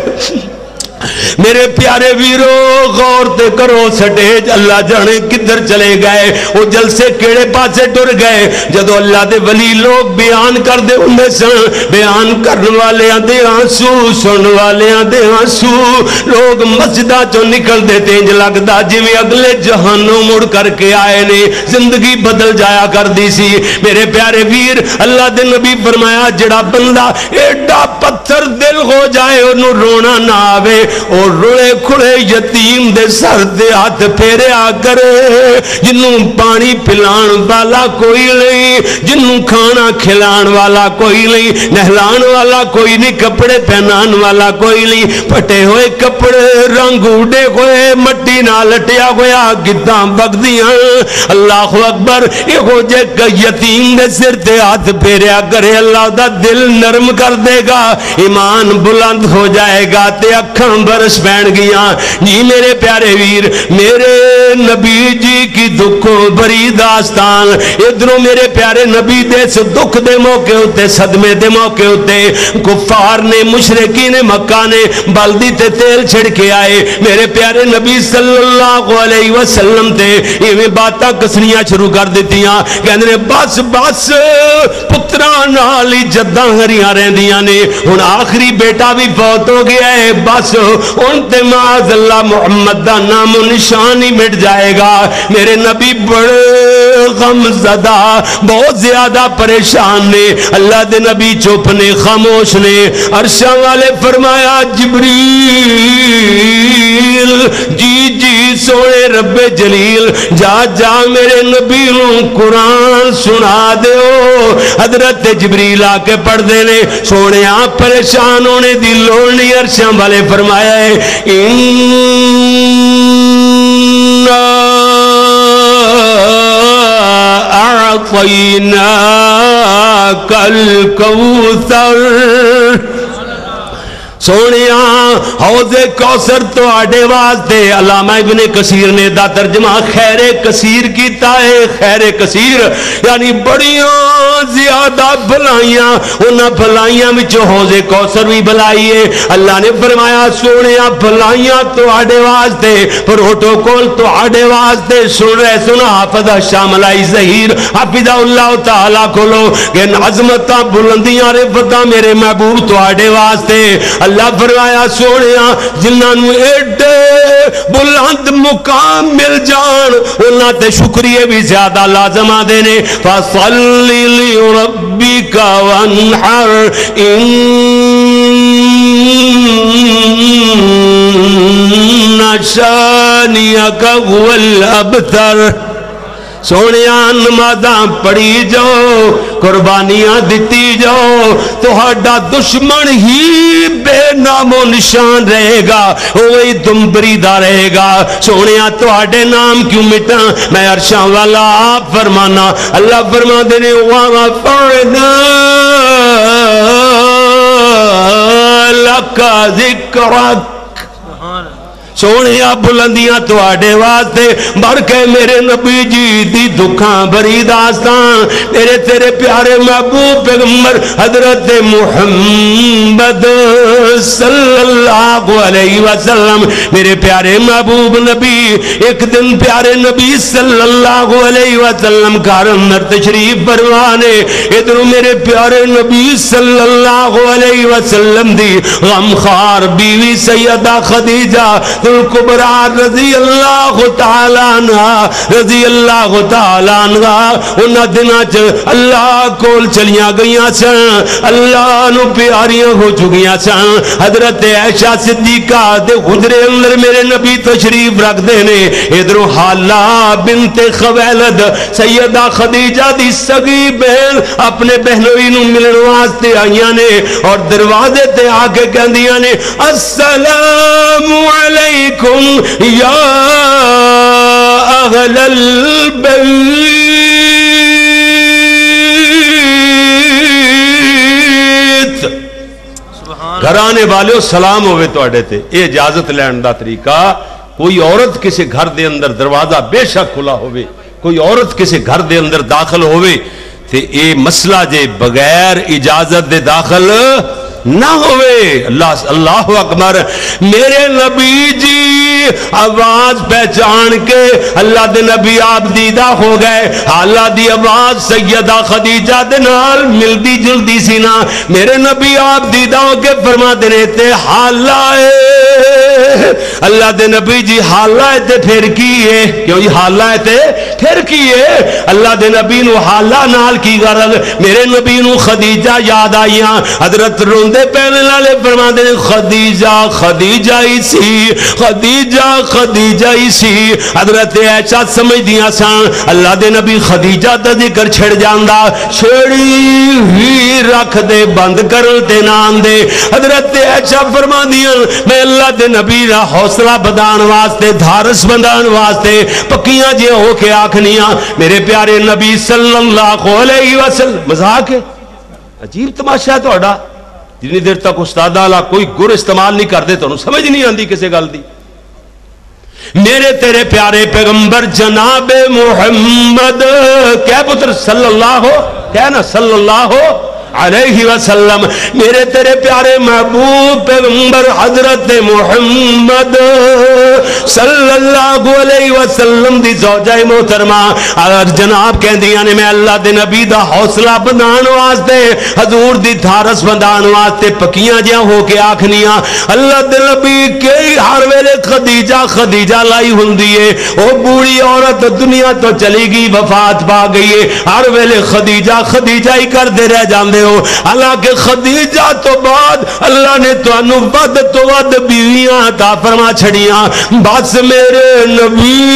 میرے پیارے ویرو، غور تے کرو، سٹیج اللہ جانے کدھر چلے گئے، او جلسے کیڑے پاسے ٹر گئے۔ جدوں اللہ دے ولی لوگ بیان کردے ہوندے سن، بیان کرن والیاں دے آنسو، سنن والیاں دے آنسو، لوگ مسجداں چوں نکلدے تے انج لگدا جویں اگلے جہانوں مڑ کر کے آئے نے، زندگی بدل جایا کردی سی۔ میرے پیارے ویر، اللہ دے نبی فرمایا، جڑا بندہ ایڈا پتھر دل ہو جائے، اونوں رونا نہ آوے، او رلے کھلے یتیم دے سر تے ہاتھ پھیریا کرے، جنوں پانی پلان والا کوئی نہیں، جنوں کھانا کھلان والا کوئی نہیں، نہلان والا کوئی نہیں، کپڑے پہنان والا کوئی نہیں، پھٹے ہوئے کپڑے، رنگ اڈے ہوئے، مٹی نال لٹیا ہویا، گداں بگدیاں۔ اللہ اکبر۔ یہو جے ک-، یتیم دے سر تے ہاتھ پھیریا کرے، اللہ دا دل نرم کر دے گا، ایمان بلند ہو جائے گا تے اکھاں برس پین گیاں۔ جی میرے پیارے ویر، میرے نبی جی کی دکھوں بھری داستان۔ ادھروں میرے پیارے نبی دے اس دکھ دے موقع اتے، صدمے دے موقع اتے، کفار نے، مشرکین مکہ نے بلدی تے تیل چھڑ کے آئے۔ میرے پیارے نبی صلی اللہ علیہ وسلم تے ایویں باتاں کسنیاں شروع کر دتیاں، کہندے نے، "بس، بس، پتراں نال ہی جداں ہریاں رہندیاں نے، ہن آخری بیٹا بھی فوت ہو گیا ہے، بس ہن تے معاذ اللہ محمد دا نام و نشان ہی مٹ جائے گا۔" میرے نبی بڑے غم زدہ، بہت زیادہ پریشان نے۔ اللہ دے نبی چپ نے، خاموش نے۔ عرشاں والے فرمایا، جبریل، جی جی سونے رب جلیل، جا جا میرے نبی نوں قرآن سنا دیو۔ حضرت جبریل آ کے پڑھ دے نے، سونیا پریشان ہونے دی لوڑ نہیں۔ عرشاں والے فرمایا ہے، انا اعطیناک الکوثر۔ سونیا، حوض کوثر تہاڈے واسطے۔ علامہ ابن کثیر نے دا ترجمہ خیر کثیر کیتا ہے، خیر کثیر یعنی بڑیاں زیادہ بھلائیاں، انہاں بھلائیاں وچ حوض کوثر بھی بھلائی ہے۔ اللہ نے فرمایا، سونیا، بھلائیاں تہاڈے واسطے، پروٹوکول تہاڈے واسطے۔ سن رہے سن حافظ شاملائی ظہیر حفظہ اللہ تعالی کولو کہ عظمتاں، بلندیاں، رفتاں میرے محبوب تہاڈے واسطے۔ اللہ فرمایا، سونیا، جنہاں نوں ایڈے بلند مقام مل جان، انہاں تے شکریہ بھی زیادہ لازم آندے نے۔ فصل لربک وانحر، ان شانئک هو الابتر۔ سونیا، نمازاں پڑھی جاؤ، قربانیاں دتی جاؤ، تہاڈا دشمن ہی بے نام و نشان رہے گا، وہی دمبری دا رہے گا۔ سونیا، تہاڈے نام کیوں مٹاں؟ میں عرشاں والا آپ فرمانا۔ اللہ فرما دے نے، "ورفعنا لک ذکرک۔" سونیا، بلندیاں تہاڈے واسطے، بڑھ کے میرے نبی جی دی دکھاں بھری داستان، میرے تیرے پیارے محبوب پیغمبر حضرت محمد صلی اللہ علیہ وسلم، میرے پیارے محبوب نبی۔ ایک دن پیارے نبی صلی اللہ علیہ وسلم گھر اندر تشریف فرما نے، ادھروں میرے پیارے نبی صلی اللہ علیہ وسلم دی غمخوار بیوی سیدہ خدیجہ الکبریٰ رضی اللہ تعالیٰ عنہا، رضی اللہ تعالیٰ عنہا، انہاں دناں چ اللہ کول چلیاں گئیاں سن، اللہ نو پیاریاں ہو چکیاں سن۔ حضرت عائشہ صدیقہ دے حجرے اندر میرے نبی تشریف رکھدے نے۔ ادھروں حالہ بنت خویلد، سیدہ خدیجہ دی سگی بہن، اپنے بہنوئی نو ملن واسطے آئیاں نے اور دروازے تے آ کے کہندیاں نے، "السلام علیکم یا اہل البیت۔" گھرانے والےو، سلام ہوے تواڈے تے۔ اے اجازت لین دا طریقہ، کوئی عورت کسے گھر دے اندر، دروازہ بے شک کھلا ہوے، کوئی عورت کسے گھر دے اندر داخل ہوے تے اے مسئلہ جے بغیر اجازت دے داخل نہ ہوے۔ اللہ، اللہ اکبر۔ میرے نبی جی آواز پہچان کے اللہ دے نبی آپ دیدہ ہو گئے۔ حالہ دی آواز سیدہ خدیجہ دے نال ملدی جلدی سی نا۔ میرے نبی آپ دیدہ ہو کے فرما دے نے، "تے حالہ اے۔" اللہ دے نبی جی، "حالہ اے تے پھر کی اے؟" کیوں جی، حالہ اے تے پھر کی اے؟ اللہ دے نبی نو حالہ نال کی غرض؟ میرے نبی نو خدیجہ یاد آئیاں۔ حضرت روندے پہلے نالے فرما دے نے، "خدیجہ، خدیجہ ہی سی، خدیجہ، خدیجہ ہی سی۔" حضرت عائشہ سمجھدیاں سن، اللہ دے نبی خدیجہ دا ذکر چھڑ جاندا، چھڑی ہی رکھ دے بند کرن تے نہ آندے۔ حضرت عائشہ فرماندیاں، میں اللہ دے نبی دا حوصلہ بدھان واسطے، دھارس بدھان واسطے پکیاں جے ہو کے آکھنیاں، میرے پیارے نبی صلی اللہ علیہ وسلم، مذاق ہے؟ عجیب تماشا ہے تہاڈا۔ جنی دیر تک استاداں والا کوئی گر استعمال نہیں کردے، تانوں سمجھ نہیں آندی کسے گل دی۔ میرے تیرے پیارے پیغمبر جناب محمد، کہہ پتر، صلی اللہ، کہہ نا، صلی اللہ علیہ وسلم۔ میرے تیرے پیارے محبوب پیغمبر حضرت محمد صلی اللہ علیہ وسلم دی زوجہ محترمہ، اور جناب کہندیاں نے، میں اللہ دے نبی دا حوصلہ بندھان واسطے، حضور دی دھارس بندھان واسطے پکیاں جیاں ہو کے آکھنیاں، اللہ دے نبی کئی ہر ویلے خدیجہ، خدیجہ لائی ہوندی ہے۔ او بوڑھی عورت دنیا تو چلی گئی، وفات پا گئی ہے، ہر ویلے خدیجہ، خدیجہ ہی کردے رہ جاندے ہو۔ حالانکہ خدیجہ تو بعد اللہ نے تانوں ود تو ود بیویاں عطا فرما چھڑیاں۔ بس میرے نبی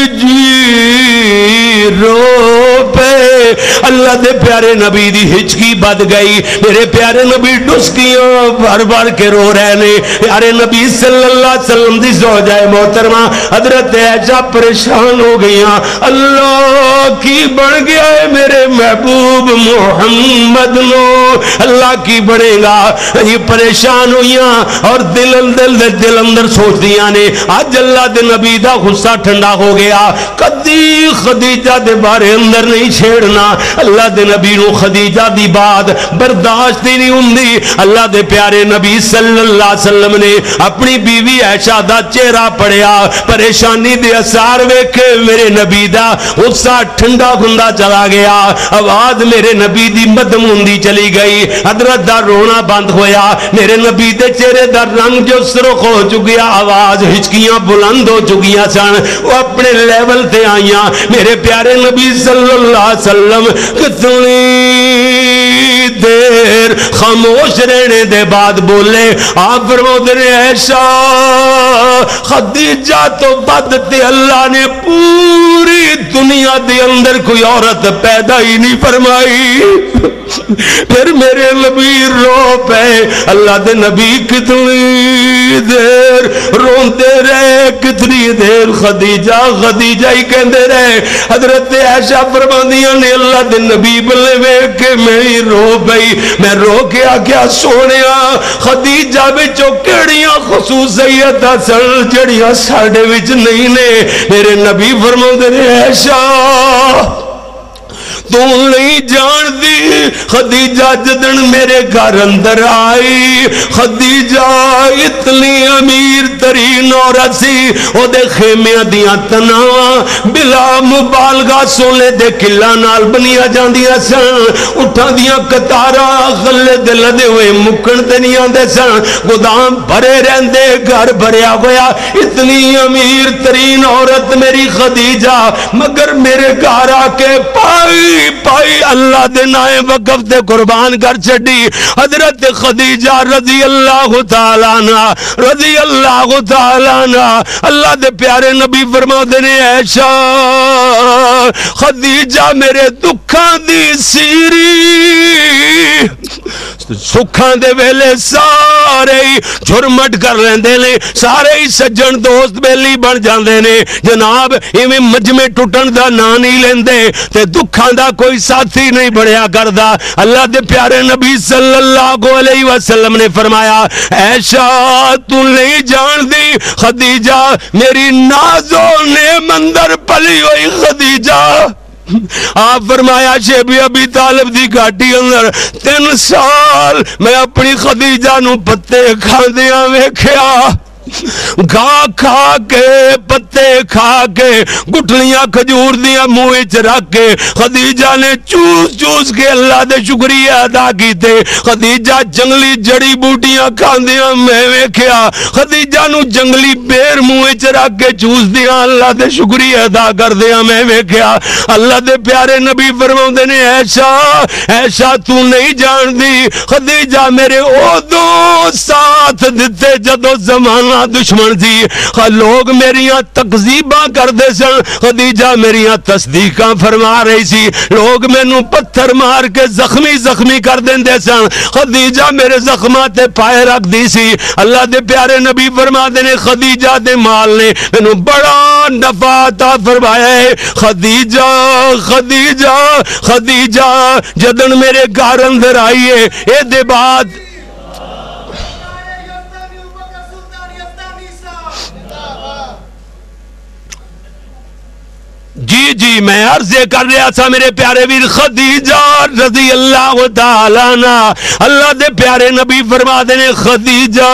جی رو پے، اللہ دے پیارے نبی دی ہچکی بد گئی۔ میرے پیارے نبی ڈسکیاں بھر بھر کے رو رہے نے۔ پیارے نبی صلی اللہ علیہ وسلم دی زوجہ محترمہ حضرت عائشہ پریشان ہو گئیاں، اللہ کی بن گیا ہے میرے محبوب محمد نو، اللہ کی بنے گا؟ یہ پریشان ہوئیاں اور دل اندر، دل اندر سوچ دیاں نے، اج اللہ دے نبی دا غصہ ٹھنڈا ہو گیا، کدی خدیجہ دے بارے اندر نہیں چھیڑنا۔ اللہ دے نبی نو خدیجہ دی بات برداشت ہی نہیں ہوندی۔ اللہ دے پیارے نبی صلی اللہ علیہ وسلم نے اپنی بیوی عائشہ دا چہرہ پڑھیا، پریشانی دے اثار ویکھے، میرے نبی دا غصہ ٹھنڈا ہوندا چلا گیا، آواز میرے نبی دی مدم ہوندی چلی گئی، حضرت دا رونا بند ہویا۔ میرے نبی دے چہرے دا رنگ جو سرخ ہو چکیا، آواز ہچکیاں بلند ہو چکیاں سن، وہ اپنے لیول تے آئیاں۔ میرے پیارے نبی صلی اللہ علیہ وسلم کتنی دیر خاموش رہنے دے بعد بولے، آپ فرماتے نے، ایشا خدیجہ تو بد تے اللہ نے پوری دنیا دے اندر کوئی عورت پیدا ہی نہیں فرمائی۔ پھر میرے نبی رو پے۔ اللہ دے نبی کتنی دیر روندے رہے، کتنی دیر خدیجہ، خدیجہ ہی کہندے رہے۔ حضرت عائشہ فرماندیاں نے، اللہ دے نبی بلے ویکھ کے میں ہی رو پئی۔ میں رو کے آکھیا، سونیا، خدیجہ وچوں کیڑیاں خصوصیتاں سن جڑیاں ساڈے وچ نہیں نے؟ میرے نبی فرماندے نے، عائشہ، تو نہیں جان دی، خدیجہ جدن میرے گھر اندر آئی، خدیجہ اتنی امیر ترین عورت سی، او دے خیمیاں دیاں تناواں بلا مبالغہ سونے دے کلاں نال بنیاں جاندیاں سن۔ اٹھاں دیاں قطاراں غلے دے لدے ہوئے مکن تے نہیں آندے سن۔ گودام بھرے رہندے، گھر بھریا ہویا۔ اتنی امیر ترین عورت میری خدیجہ، مگر میرے گھر آ کے پائی پائی اللہ دے نائے وقف تے قربان کر چھڈی۔ حضرت خدیجہ رضی اللہ تعالیٰ عنہ، رضی اللہ تعالیٰ عنہ، اللہ دے پیارے نبی فرما نے، عائشہ، خدیجہ میرے دکھاں دی سیری، سکھاں دے ویلے سارے ہی جھرمٹ کر لیندے نے، سارے ہی سجن دوست بیلی بن جاندے نے۔ جناب، ایویں مجمع ٹوٹن دا ناں نہیں لیندے تے دکھاں دا کوئی ساتھی نہیں بنیا کردا۔ اللہ دے پیارے نبی صلی اللہ علیہ وسلم نے فرمایا، عائشہ، تو نہیں جان دی، خدیجہ میری نازو نعم اندر پلی ہوئی خدیجہ۔ آپ فرمایا، شیب ابی طالب دی گھاٹی اندر تین سال میں اپنی خدیجہ نو پتے کھاندیاں ویکھیا۔ گھا کھا کے، پتے کھا کے، گٹلیاں کھجور دیاں منہ وچ رکھ کے خدیجہ نے چوس چوس کے اللہ دے شکریہ ادا کیتے۔ خدیجہ جنگلی جڑی بوٹیاں کھاندیاں میں ویکھیا۔ خدیجہ نو جنگلی بیر منہ وچ رکھ کے چوس دیاں اللہ دے شکریہ ادا کردیاں میں ویکھیا۔ اللہ دے پیارے نبی فرماوندے نے، عائشہ، عائشہ، تو نہیں جاندی، خدیجہ میرے اودوں ساتھ دتے جدوں زمانہ دشمن سی۔ خ-، لوگ میریاں تکذیباں کردے سن، خدیجہ میریاں تصدیقاں فرما رہی سی۔ لوگ مینوں پتھر مار کے زخمی زخمی کر دیندے سن، خدیجہ میرے زخماں تے پائے رکھدی سی۔ اللہ دے پیارے نبی فرما دے نے، خدیجہ دے مال نے مینوں بڑا نفع عطا فرمایا ہے۔ خدیجہ، خدیجہ، خدیجہ جدن میرے گھر اندر آئی ہے، اے دے بعد جی، جی، میں عرض یہ کر رہا تھا میرے پیارے ویر، خدیجہ رضی اللہ تعالیٰ عنہ، اللہ دے پیارے نبی فرما دے نے، خدیجہ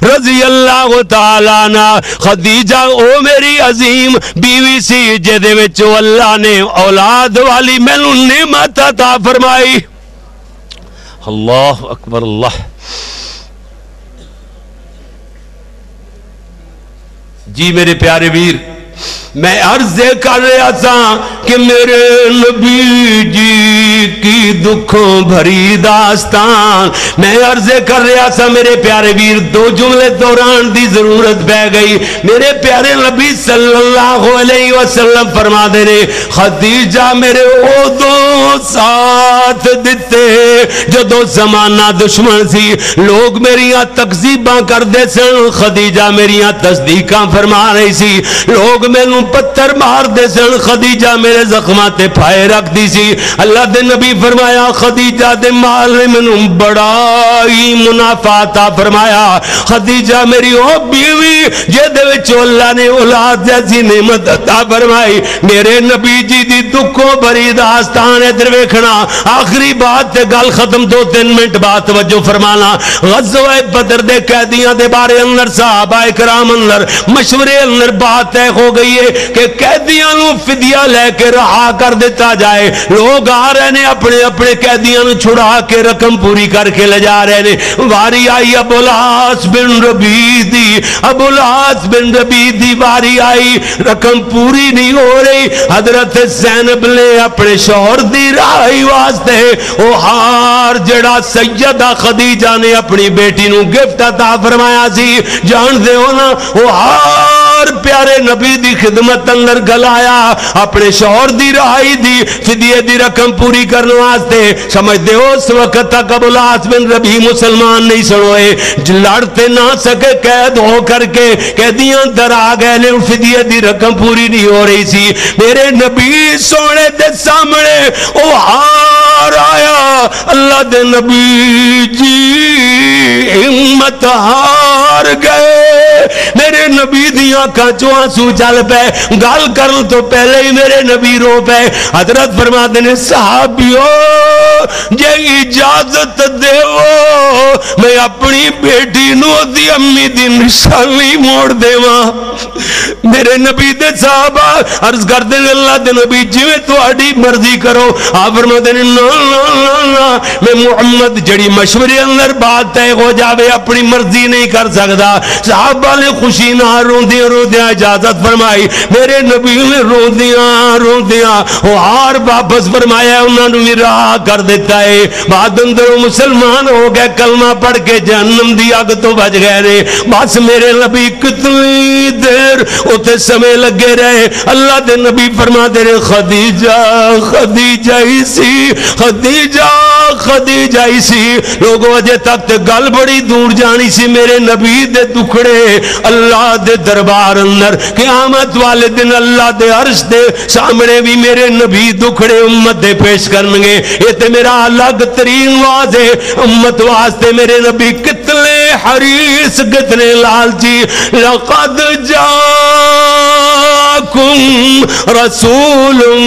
رضی اللہ تعالیٰ عنہ، خدیجہ او میری عظیم بیوی سی، جے دے وچ اللہ نے اولاد والی مینوں نعمت عطا فرمائی۔ اللہ اکبر، اللہ۔ جی میرے پیارے ویر، میں عرض یہ کر رہا تھا کہ میرے نبی جی کی دکھوں بھری داستان۔ میں عرض یہ کر رہا تھا میرے پیارے ویر، دو جملے دوران دی ضرورت پہ گئی۔ میرے پیارے نبی صلی اللہ علیہ وسلم فرما دے نے، خدیجہ میرے اودوں ساتھ دتے جدوں زمانہ دشمن سی، لوگ میریاں تکذیباں کردے سن، خدیجہ میریاں تصدیقاں فرما رہی سی، لوگ مینوں پتھر مار دے سن، خدیجہ میرے زخماں تے پھائے رکھ دی سی۔ اللہ دے نبی فرمایا، خدیجہ دے مال نے مینوں بڑا ہی منافع عطا فرمایا۔ خدیجہ میری او بیوی جے دے وچ اللہ نے اولاد جیسی نعمت عطا فرمائی۔ میرے نبی جی دی دکھوں بھری داستان ادھر ویکھنا۔ آخری بات تے گل ختم، دو تین منٹ بعد توجہ فرمانا۔ غزوہ بدر دے قیدیاں دے بارے اندر صحابہ کرام اندر مشورے اندر بات طے ہو گئی ہے کہ قیدیاں نوں فدیہ لے کے رہا کر دتا جائے۔ لوگ آ رہے نے اپنے اپنے قیدیاں نوں چھڑا کے رقم پوری کر کے لے جا رہے نے۔ واری آئی ابو العاص بن ربیع دی، ابو العاص بن ربیع دی واری آئی، رقم پوری نہیں ہو رہی۔ حضرت زینب نے اپنے شوہر دی رہائی واسطے او ہار جڑا سیدہ خدیجہ نے اپنی بیٹی نو گفٹ عطا فرمایا سی، جان دے ہو نا، او ہار پیارے نبی دی خدمت اندر گلایا، اپنے شوہر دی رہائی دی فدیے دی رقم پوری کرن واسطے۔ سمجھدے ہو، اس وقت تک ابو العاص بن ربیع مسلمان نہیں سن ہوئے، لڑ تے نہ سکے، قید ہو کر کے قیدیاں در آ گئے نے، فدیے دی رقم پوری نہیں ہو رہی سی۔ میرے نبی سونے دے سامنے او ہار آیا، اللہ دے نبی جی ہمت ہار گئے۔ میرے نبی دیاں اکھاں چوں آنسو چل پے۔ گل کرن تو پہلے ہی میرے نبی رو پے۔ حضرت فرماتے نے، "صحابیو، جے اجازت دیو، میں اپنی بیٹی نو دی امی دی نشانی موڑ دیواں۔" میرے نبی دے صحابہ عرض کردے نے، "اللہ دے نبی، جویں تہاڈی مرضی کرو۔" آپ فرماتے نے، "نہ، نہ، نہ، نہ، میں محمد جڑی مشورے اندر بات طے ہو جاوے، اپنی مرضی نہیں کر سکدا۔" صحابہ نے خوشی نال روندیاں روندیاں اجازت فرمائی۔ میرے نبی نے روندیاں روندیاں او ہار واپس فرمایا، انہاں نوں وی رہا کر دتا ہے۔ بعد اندر او مسلمان ہو گئے، کلمہ پڑھ کے جہنم دی اگ تو بچ گئے نے۔ بس میرے نبی کتنی دیر اتھے سمے لگے رہے۔ اللہ دے نبی فرما دے رہے، "خدیجہ، خدیجہ ہی سی، خدیجہ، خدیجہ ہی سی۔" لوگوں، اجے تک تے گل بڑی دور جانی سی۔ میرے نبی دے دکھڑے اللہ دے دربار اندر قیامت والے دن اللہ دے عرش دے سامنے بھی میرے نبی دکھڑے امت دے پیش کرنگے۔ یہ تے میرا الگ ترین واز ہے، امت واسطے میرے نبی کتنے حریص، کتنے لالچی۔ لقد جاءکم رسول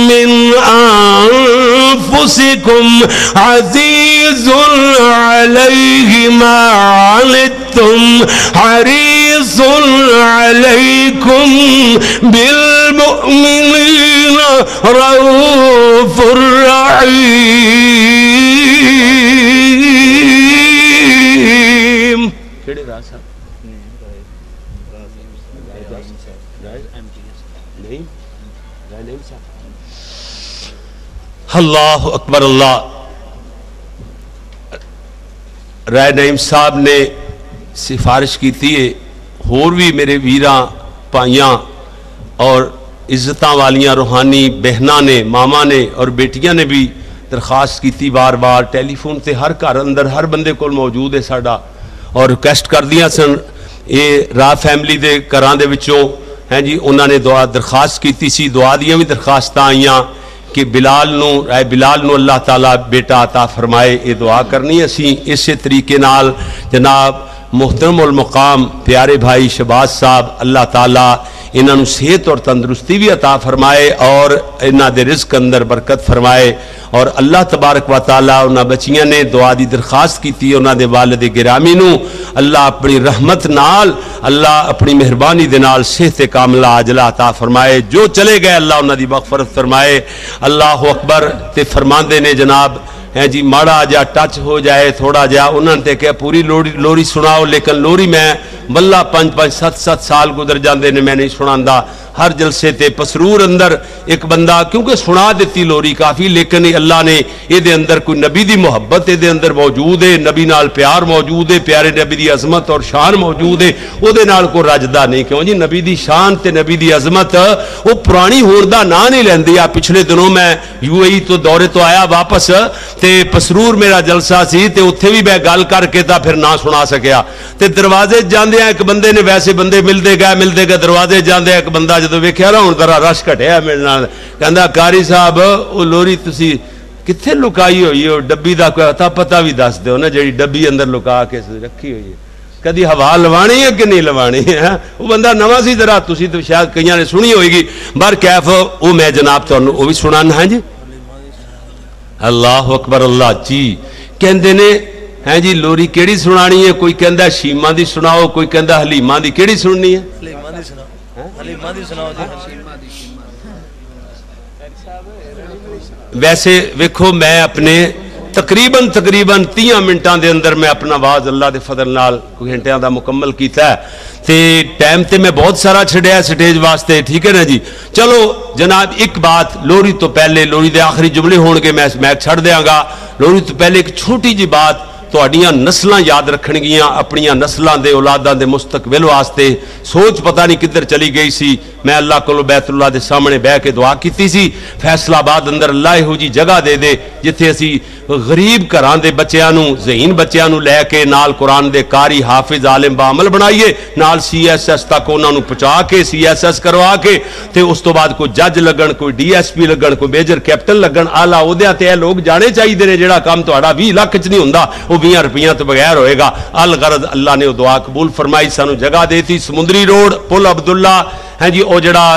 من انفسکم عزیز علیہ ما عنتم حریص علیکم بالمؤمنین رؤوف رحیم۔ کیڑے راہ صاحب؟ نہیں؟ راہ نہیں صاحب۔ اللہ اکبر، اللہ۔ رائے نعیم صاحب نے سفارش کیتی ہے، ہور بھی میرے ویراں، بھائیاں اور عزتاں والیاں روحانی بہناں نے، ماواں نے اور بیٹیاں نے بھی درخواست کیتی بار بار، ٹیلی فون تے ہر گھر اندر ہر بندے کول موجود ہے ساڈا، اور ریکویسٹ کردیاں سن۔ اے راہ فیملی دے گھراں دے وچوں ہیں جی، انہاں نے دعا درخواست کیتی سی، دعا دیاں بھی درخواستاں آئیاں کہ بلال نو، اے بلال نو اللہ تعالیٰ بیٹا عطا فرمائے۔ یہ دعا کرنی اسی اسی طریقے نال۔ جناب محترم المقام پیارے بھائی شہباز صاحب، اللہ تعالیٰ انہاں نو صحت اور تندرستی بھی عطا فرمائے اور انہاں دے رزق اندر برکت فرمائے۔ اور اللہ تبارک و تعالیٰ انہاں بچیاں نے دعا دی درخواست کیتی، انہاں دے والد گرامی نو اللہ اپنی رحمت نال، اللہ اپنی مہربانی دے نال صحت کاملہ عاجلہ عطا فرمائے۔ جو چلے گئے، اللہ انہاں دی مغفرت فرمائے۔ اللہ اکبر۔ تے فرماندے نے جناب، ہے جی، ماڑا جا ٹچ ہو جائے، تھوڑا جا، انہاں نے تے کہا، "پوری لوری، لوری سناؤ، لیکن لوری میں ولہ پنج پنج ست ست سال گزر جاندے نے، میں نہیں سناندا۔" ہر جلسے تے پسرور اندر ایک بندہ، کیونکہ سنا دتی لوری کافی، لیکن یہ اللہ نے، یہ دے اندر کوئی نبی دی محبت یہ دے اندر موجود ہے، نبی نال پیار موجود ہے، پیارے نبی دی عظمت اور شان موجود ہے، او دے نال کوئی رجدا نہیں۔ کیوں جی؟ نبی دی شان تے نبی دی عظمت، وہ پرانی ہون دا نام نہیں لیندی۔ آ پچھلے دنوں میں یو اے ای تو دورے تو آیا واپس، تے پسرور میرا جلسہ سی، تے اتھے بھی میں گل کر کے تا پھر نہ سنا سکیا۔ تے دروازے جاندے آ ایک بندے نے، ویسے بندے ملدے گئے، ملدے گئے، دروازے جاندے آ ایک بندہ جدوں ویکھیا نا، ہن ذرا رش گھٹیا میرے نال، کہندا، "قاری صاحب، او لوری تسی کتھے لکائی ہوئی ہے؟ او ڈبی دا کوئی اتا پتہ بھی دس دیو نا، جیڑی ڈبی اندر لکا کے رکھی ہوئی ہے، کدی ہوا لوانی ہے کہ نہیں لوانی ہے؟" او بندہ نواں سی، ذرا تسی تے شاید کئیاں نے سنی ہوئے گی، بہر کیف، او میں جناب تانوں او بھی سنانا ہاں جی۔ اللہ اکبر، اللہ جی۔ کہندے نے، ہیں جی، لوری کیڑی سنانی ہے؟ کوئی کہندا شیما دی سناؤ، کوئی کہندا حلیمہ دی۔ کیڑی سننی ہے؟ حلیمہ دی سناؤ۔ حلیمہ دی سناؤ جی۔ ویسے ویکھو، میں اپنے تقریباً، تقریباً تیہاں منٹاں دے اندر میں اپنا واز اللہ دے فضل نال کوئی گھنٹیاں دا مکمل کیتا ہے۔ تے ٹائم تے میں بہت سارا چھڈیا ہے سٹیج واسطے، ٹھیک ہے نا جی؟ چلو جناب، ایک بات، لوری تو پہلے، لوری دے آخری جملے ہون گے، میں مائک چھڈ دیاں گا۔ لوری تو پہلے ایک چھوٹی جی بات، تہاڈیاں نسلاں یاد رکھن گیاں، اپنیاں نسلاں دے، اولاداں دے مستقبل واسطے۔ سوچ پتہ نہیں کدھر چلی گئی سی۔ میں اللہ کولوں بیت اللہ دے سامنے بہ کے دعا کیتی سی، فیصل آباد اندر اللہ یہو جی جگہ دے دے جتھے اسی غریب گھراں دے بچیاں نوں، ذہین بچیاں نوں لے کے نال قرآن دے قاری، حافظ، عالم، باعمل بنائیے، نال سی ایس ایس تک انہاں نوں پہنچا کے، سی ایس ایس کروا کے، تے اس تو بعد کوئی جج لگن، کوئی ڈی ایس پی لگن، کوئی میجر کیپٹن لگن، اعلیٰ عہدیاں تے اے لوگ جانے چاہیدے نے۔ جڑا کم تہاڈا ویہہ لکھ چ نہیں ہوندا، او ویہاں روپیاں تو بغیر ہوئے گا۔ الغرض، اللہ نے وہ دعا قبول فرمائی، سانو جگہ دیتی، سمندری روڈ، پل عبداللہ، ہاں جی، وہ جڑا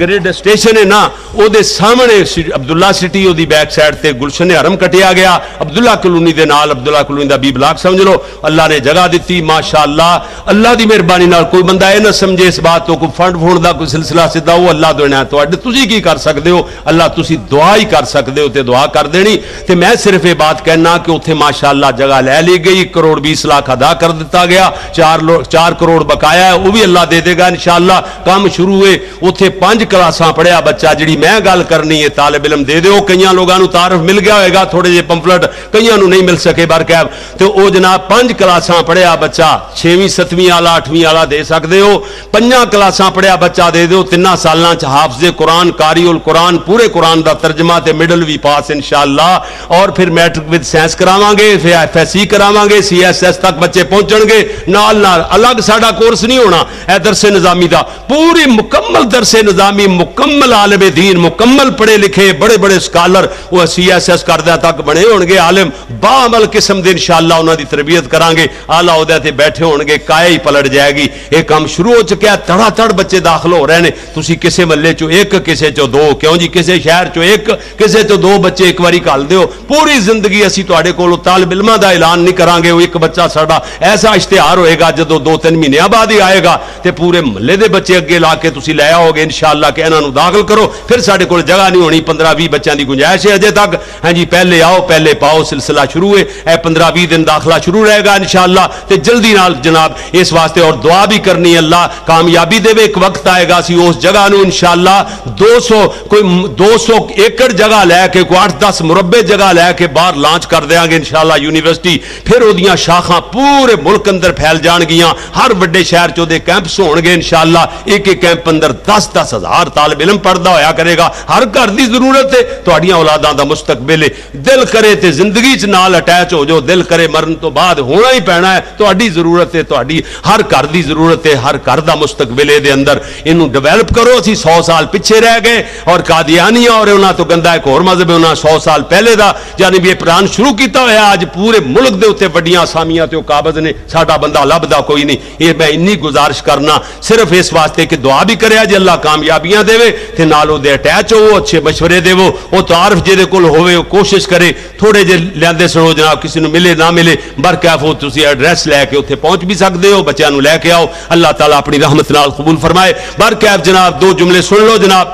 گرڈ اسٹیشن ہے نا، وہ دے سامنے سی-، عبداللہ سٹی، وہ دی بیک سائیڈ تے گلشن حرم کٹیا گیا۔ عبداللہ کالونی دے نال، عبداللہ کالونی دا بی بلاک سمجھ لو، اللہ نے جگہ دتی، ماشاءاللہ۔ اللہ دی مہربانی نال کوئی بندہ اے نہ سمجھے اس بات تو، کوئی فنڈ فنڈ دا کوئی سلسلہ سدھا، وہ اللہ دے عنایت۔ تسی کی کر سکدے ہو؟ اللہ، تسی دعا ہی کر سکدے ہو تے دعا کر دینی۔ تے میں صرف یہ بات کہنا کہ اتھے ماشاءاللہ جگہ لے لی گئی، ایک کروڑ بیس لاکھ ادا کر دتا گیا، چار لو-، چار کروڑ بقایا ہے، وہ بھی اللہ دے دے گا انشاءاللہ۔ کم شروع ہے، اتھے پنج کلاساں پڑھیا بچہ، جڑی میں گل کرنی ہے، طالب علم دے دیو۔ کئیاں لوگاں نوں تعارف مل گیا ہوئے گا، تھوڑے جے پمفلٹ کئیاں نوں نہیں مل سکے، برکیب۔ تے او جناب پنج کلاساں پڑھیا بچہ، چھیویں، ستویں والا، اٹھویں والا دے سکدے ہو۔ پنجاں کلاساں پڑھیا بچہ دے دیو، تناں سالاں چ حافظ قرآن، قاری القرآن، پورے قرآن دا ترجمہ تے مڈل وی پاس انشاءاللہ۔ اور پھر میٹرک وچ سائنس کراواں گے، پھر ایف ایس سی کراواں گے، سی ایس ایس تک بچے پہنچن گے۔ نال نال الگ ساڈا کورس نہیں ہونا، اے درس نظامی دا، پوری مکمل درس نظامی، مکمل عالم دین، مکمل پڑھے لکھے، بڑے بڑے سکالر، وہ سی ایس ایس کردہ تک بنے ہون گے عالم، با عمل قسم دے انشاءاللہ انہاں دی تربیت کراں گے۔ اعلیٰ عہدے تے بیٹھے ہون گے، کائے ہی پلٹ جائے گی۔ یہ کام شروع ہو چکا ہے، تڑا تڑ بچے داخل ہو رہے نے۔ تسی کسے محلے چوں ایک، کسے چوں دو، کیوں جی، کسے شہر چوں ایک، کسے چوں دو بچے ایک واری گھل دیو۔ پوری زندگی اسی تہاڈے کول طالب علماں دا اعلان نہیں کراں گے۔ وہ ایک بچہ ساڈا ایسا اشتہار ہوئے گا، جدوں دو تین مہینے بعد ہی آئے گا، تے پورے محلے دے بچے اگے لا کے تسی لے آؤ گے انشاءاللہ کہ انہاں نوں داخل کرو۔ پھر ساڈے کول جگہ نہیں ہونی، پندرہ ویہہ بچیاں دی گنجائش ہے اجے تک۔ ہاں جی، پہلے آؤ، پہلے پاؤ، سلسلہ شروع ہے۔ اے پندرہ ویہہ دن داخلہ شروع رہے گا انشاءاللہ۔ تے جلدی نال جناب اس واسطے اور دعا بھی کرنی، اللہ کامیابی دے۔ ایک وقت آئے گا، اسی اس جگہ نو انشاءاللہ دو سو، کوئی دو سو ایکڑ جگہ لے کے، کوئی اٹھ دس مربع جگہ لے کے باہر لانچ کر دیاں گے انشاءاللہ یونیورسٹی۔ پھر اودیاں شاخاں پورے ملک اندر پھیل جان گیاں۔ ہر وڈے شہر چ اودے کیمپس ہون گے انشاءاللہ۔ ایک ایک کیمپ اندر دس دس ہزار طالب علم پڑھدا ہویا کرے گا۔ ہر گھر دی ضرورت ہے، تہاڈیاں اولاداں دا مستقبل ہے۔ دل کرے تے زندگی چ نال اٹیچ ہو جاؤ، دل کرے مرن تو بعد ہونا ہی پینا ہے۔ تہاڈی ضرورت ہے، تہاڈی ہر گھر دی ضرورت ہے، ہر گھر دا مستقبل ہے دے اندر۔ اینوں ڈیولپ کرو۔ اسی سو سال پچھے رہ گئے اور قادیانیہ اور انہاں تو گندا ایک ہور مذہب ہے، انہاں سو سال پہلے دا یعنی بھی یہ پلان شروع کیتا ہویا۔ اج پورے ملک دے اوتے وڈیاں اسامیاں تے او قابض نے، ساڈا بندہ لبھدا کوئی نہیں۔ یہ میں انی گزارش کرنا صرف اس واسطے کہ دعا بھی کریا جے، اللہ کامیابیاں دے، تے نال او دے اٹیچ ہو، اچھے مشورے دے، او تعارف جے دے کول ہووے، او کوشش کرے۔ تھوڑے جے لیندے سنو جناب، کسی نوں ملے نہ ملے، برکیف ہو تسی ایڈریس لے کے اوتھے پہنچ بھی سکدے ہو، بچیاں نوں لے کے آؤ۔ اللہ تعالیٰ اپنی رحمت نال قبول فرمائے۔ برکیف جناب، دو جملے سن لو جناب۔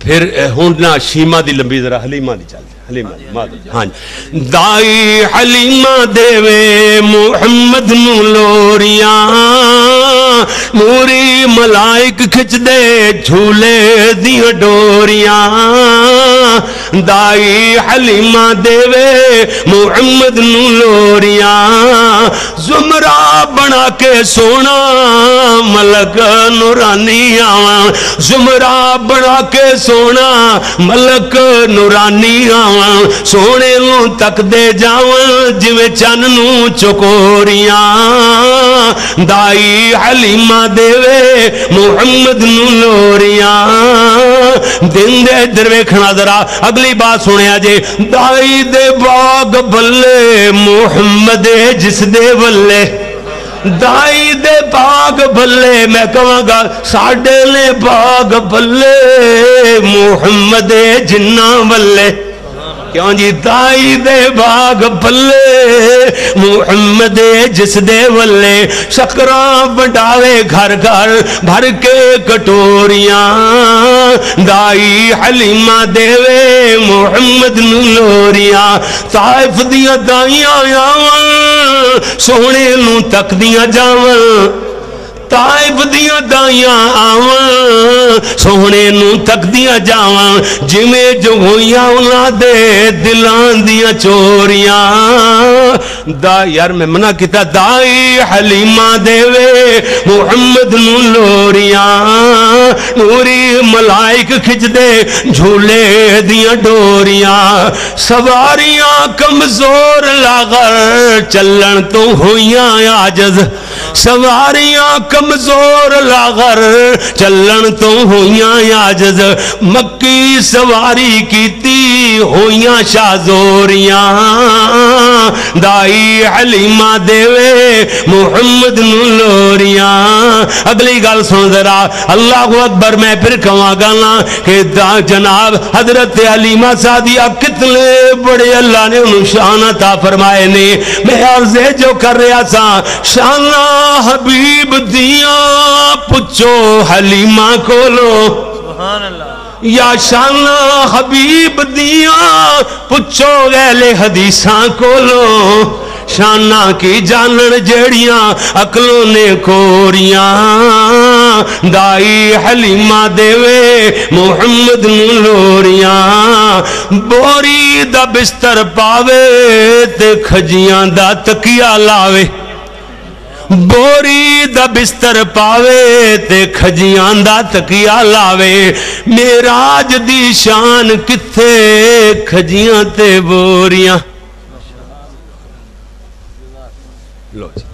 پھر، اے، ہن نہ شیما دی لمبی، ذرا حلیمہ دی چل جائے۔ حلیمہ دی، معذرت۔ ہاں جی۔ دائی حلیمہ دیوے محمد نوں لوریاں، نوری ملائک کھچدے جھولے دیاں ڈوریاں۔ دائی حلیمہ دیوے محمد نوں لوریاں، زمرہ بنا کے سونا ملک نورانی آواں، زمرہ بنا کے سونا ملک نورانی آواں، سونے نوں تکدے جاواں جویں چن نوں چکوریاں۔ دائی حلیمہ دیوے محمد نوں لوریاں۔ دن دے ادھر ویکھنا ذرا، اگلی بات سنیا جے۔ دائی دے باغ بلے محمد جس دے ولے، دائی دے باغ بلے، میں کہاں گا ساڈے نے باغ بلے محمد جنہ ولے۔ کیوں جی؟ دائی دے باغ بلے محمد جس دے ولے، شکراں ونڈاوے گھر گھر بھر کے کٹوریاں۔ دائی حلیمہ دیوے محمد نوں لوریاں، طائف دیاں دائیاں آون، سوہنے نوں تکدیاں جاون۔ طائف دیاں دائیاں آون، سوہنے نوں تکدیاں جاون، جویں جو ہوئیاں انہاں دے دلاں دیاں چوریاں۔ دا یار میں منع کیتا، دائی حلیمہ دیوے محمد نوں لوریاں، نوری ملائک کھچدے جھولے دیاں ڈوریاں، سواریاں کمزور لاغر چلن تو ہوئیاں عاجز۔ سواریاں کمزور لاغر، چلن تو ہوئیاں عاجز۔ مکی سواری کیتی، ہوئیاں شازوریاں۔ دائی حلیمہ دیوے محمد نو لوریاں۔ اگلی گل سن ذرا، اللہ اکبر۔ میں پھر کہواں گا نا کہ دا جناب حضرت حلیمہ سعدیہ کتنے بڑے اللہ نے انہوں شان عطا فرمائے نے۔ میں عرض جو کر رہا سا، شانہ حبیب دیاں پچھو حلیمہ کولو، سبحان اللہ۔ یا شانہ حبیب دیاں پچھو اہل حدیثاں کولو، شانہ کی جانن جیڑیاں عقلوں نے کوریاں۔ دائی حلیمہ دیوے محمد نو لوریاں، بوری دا بستر پاوے تے کھجیاں دا تکیا لاوے، بوری دا بستر پاوے تے کھجیاں دا تکیا لاوے۔ معراج دی شان کتھے، کھجیاں تے بوریاں۔ لو جی۔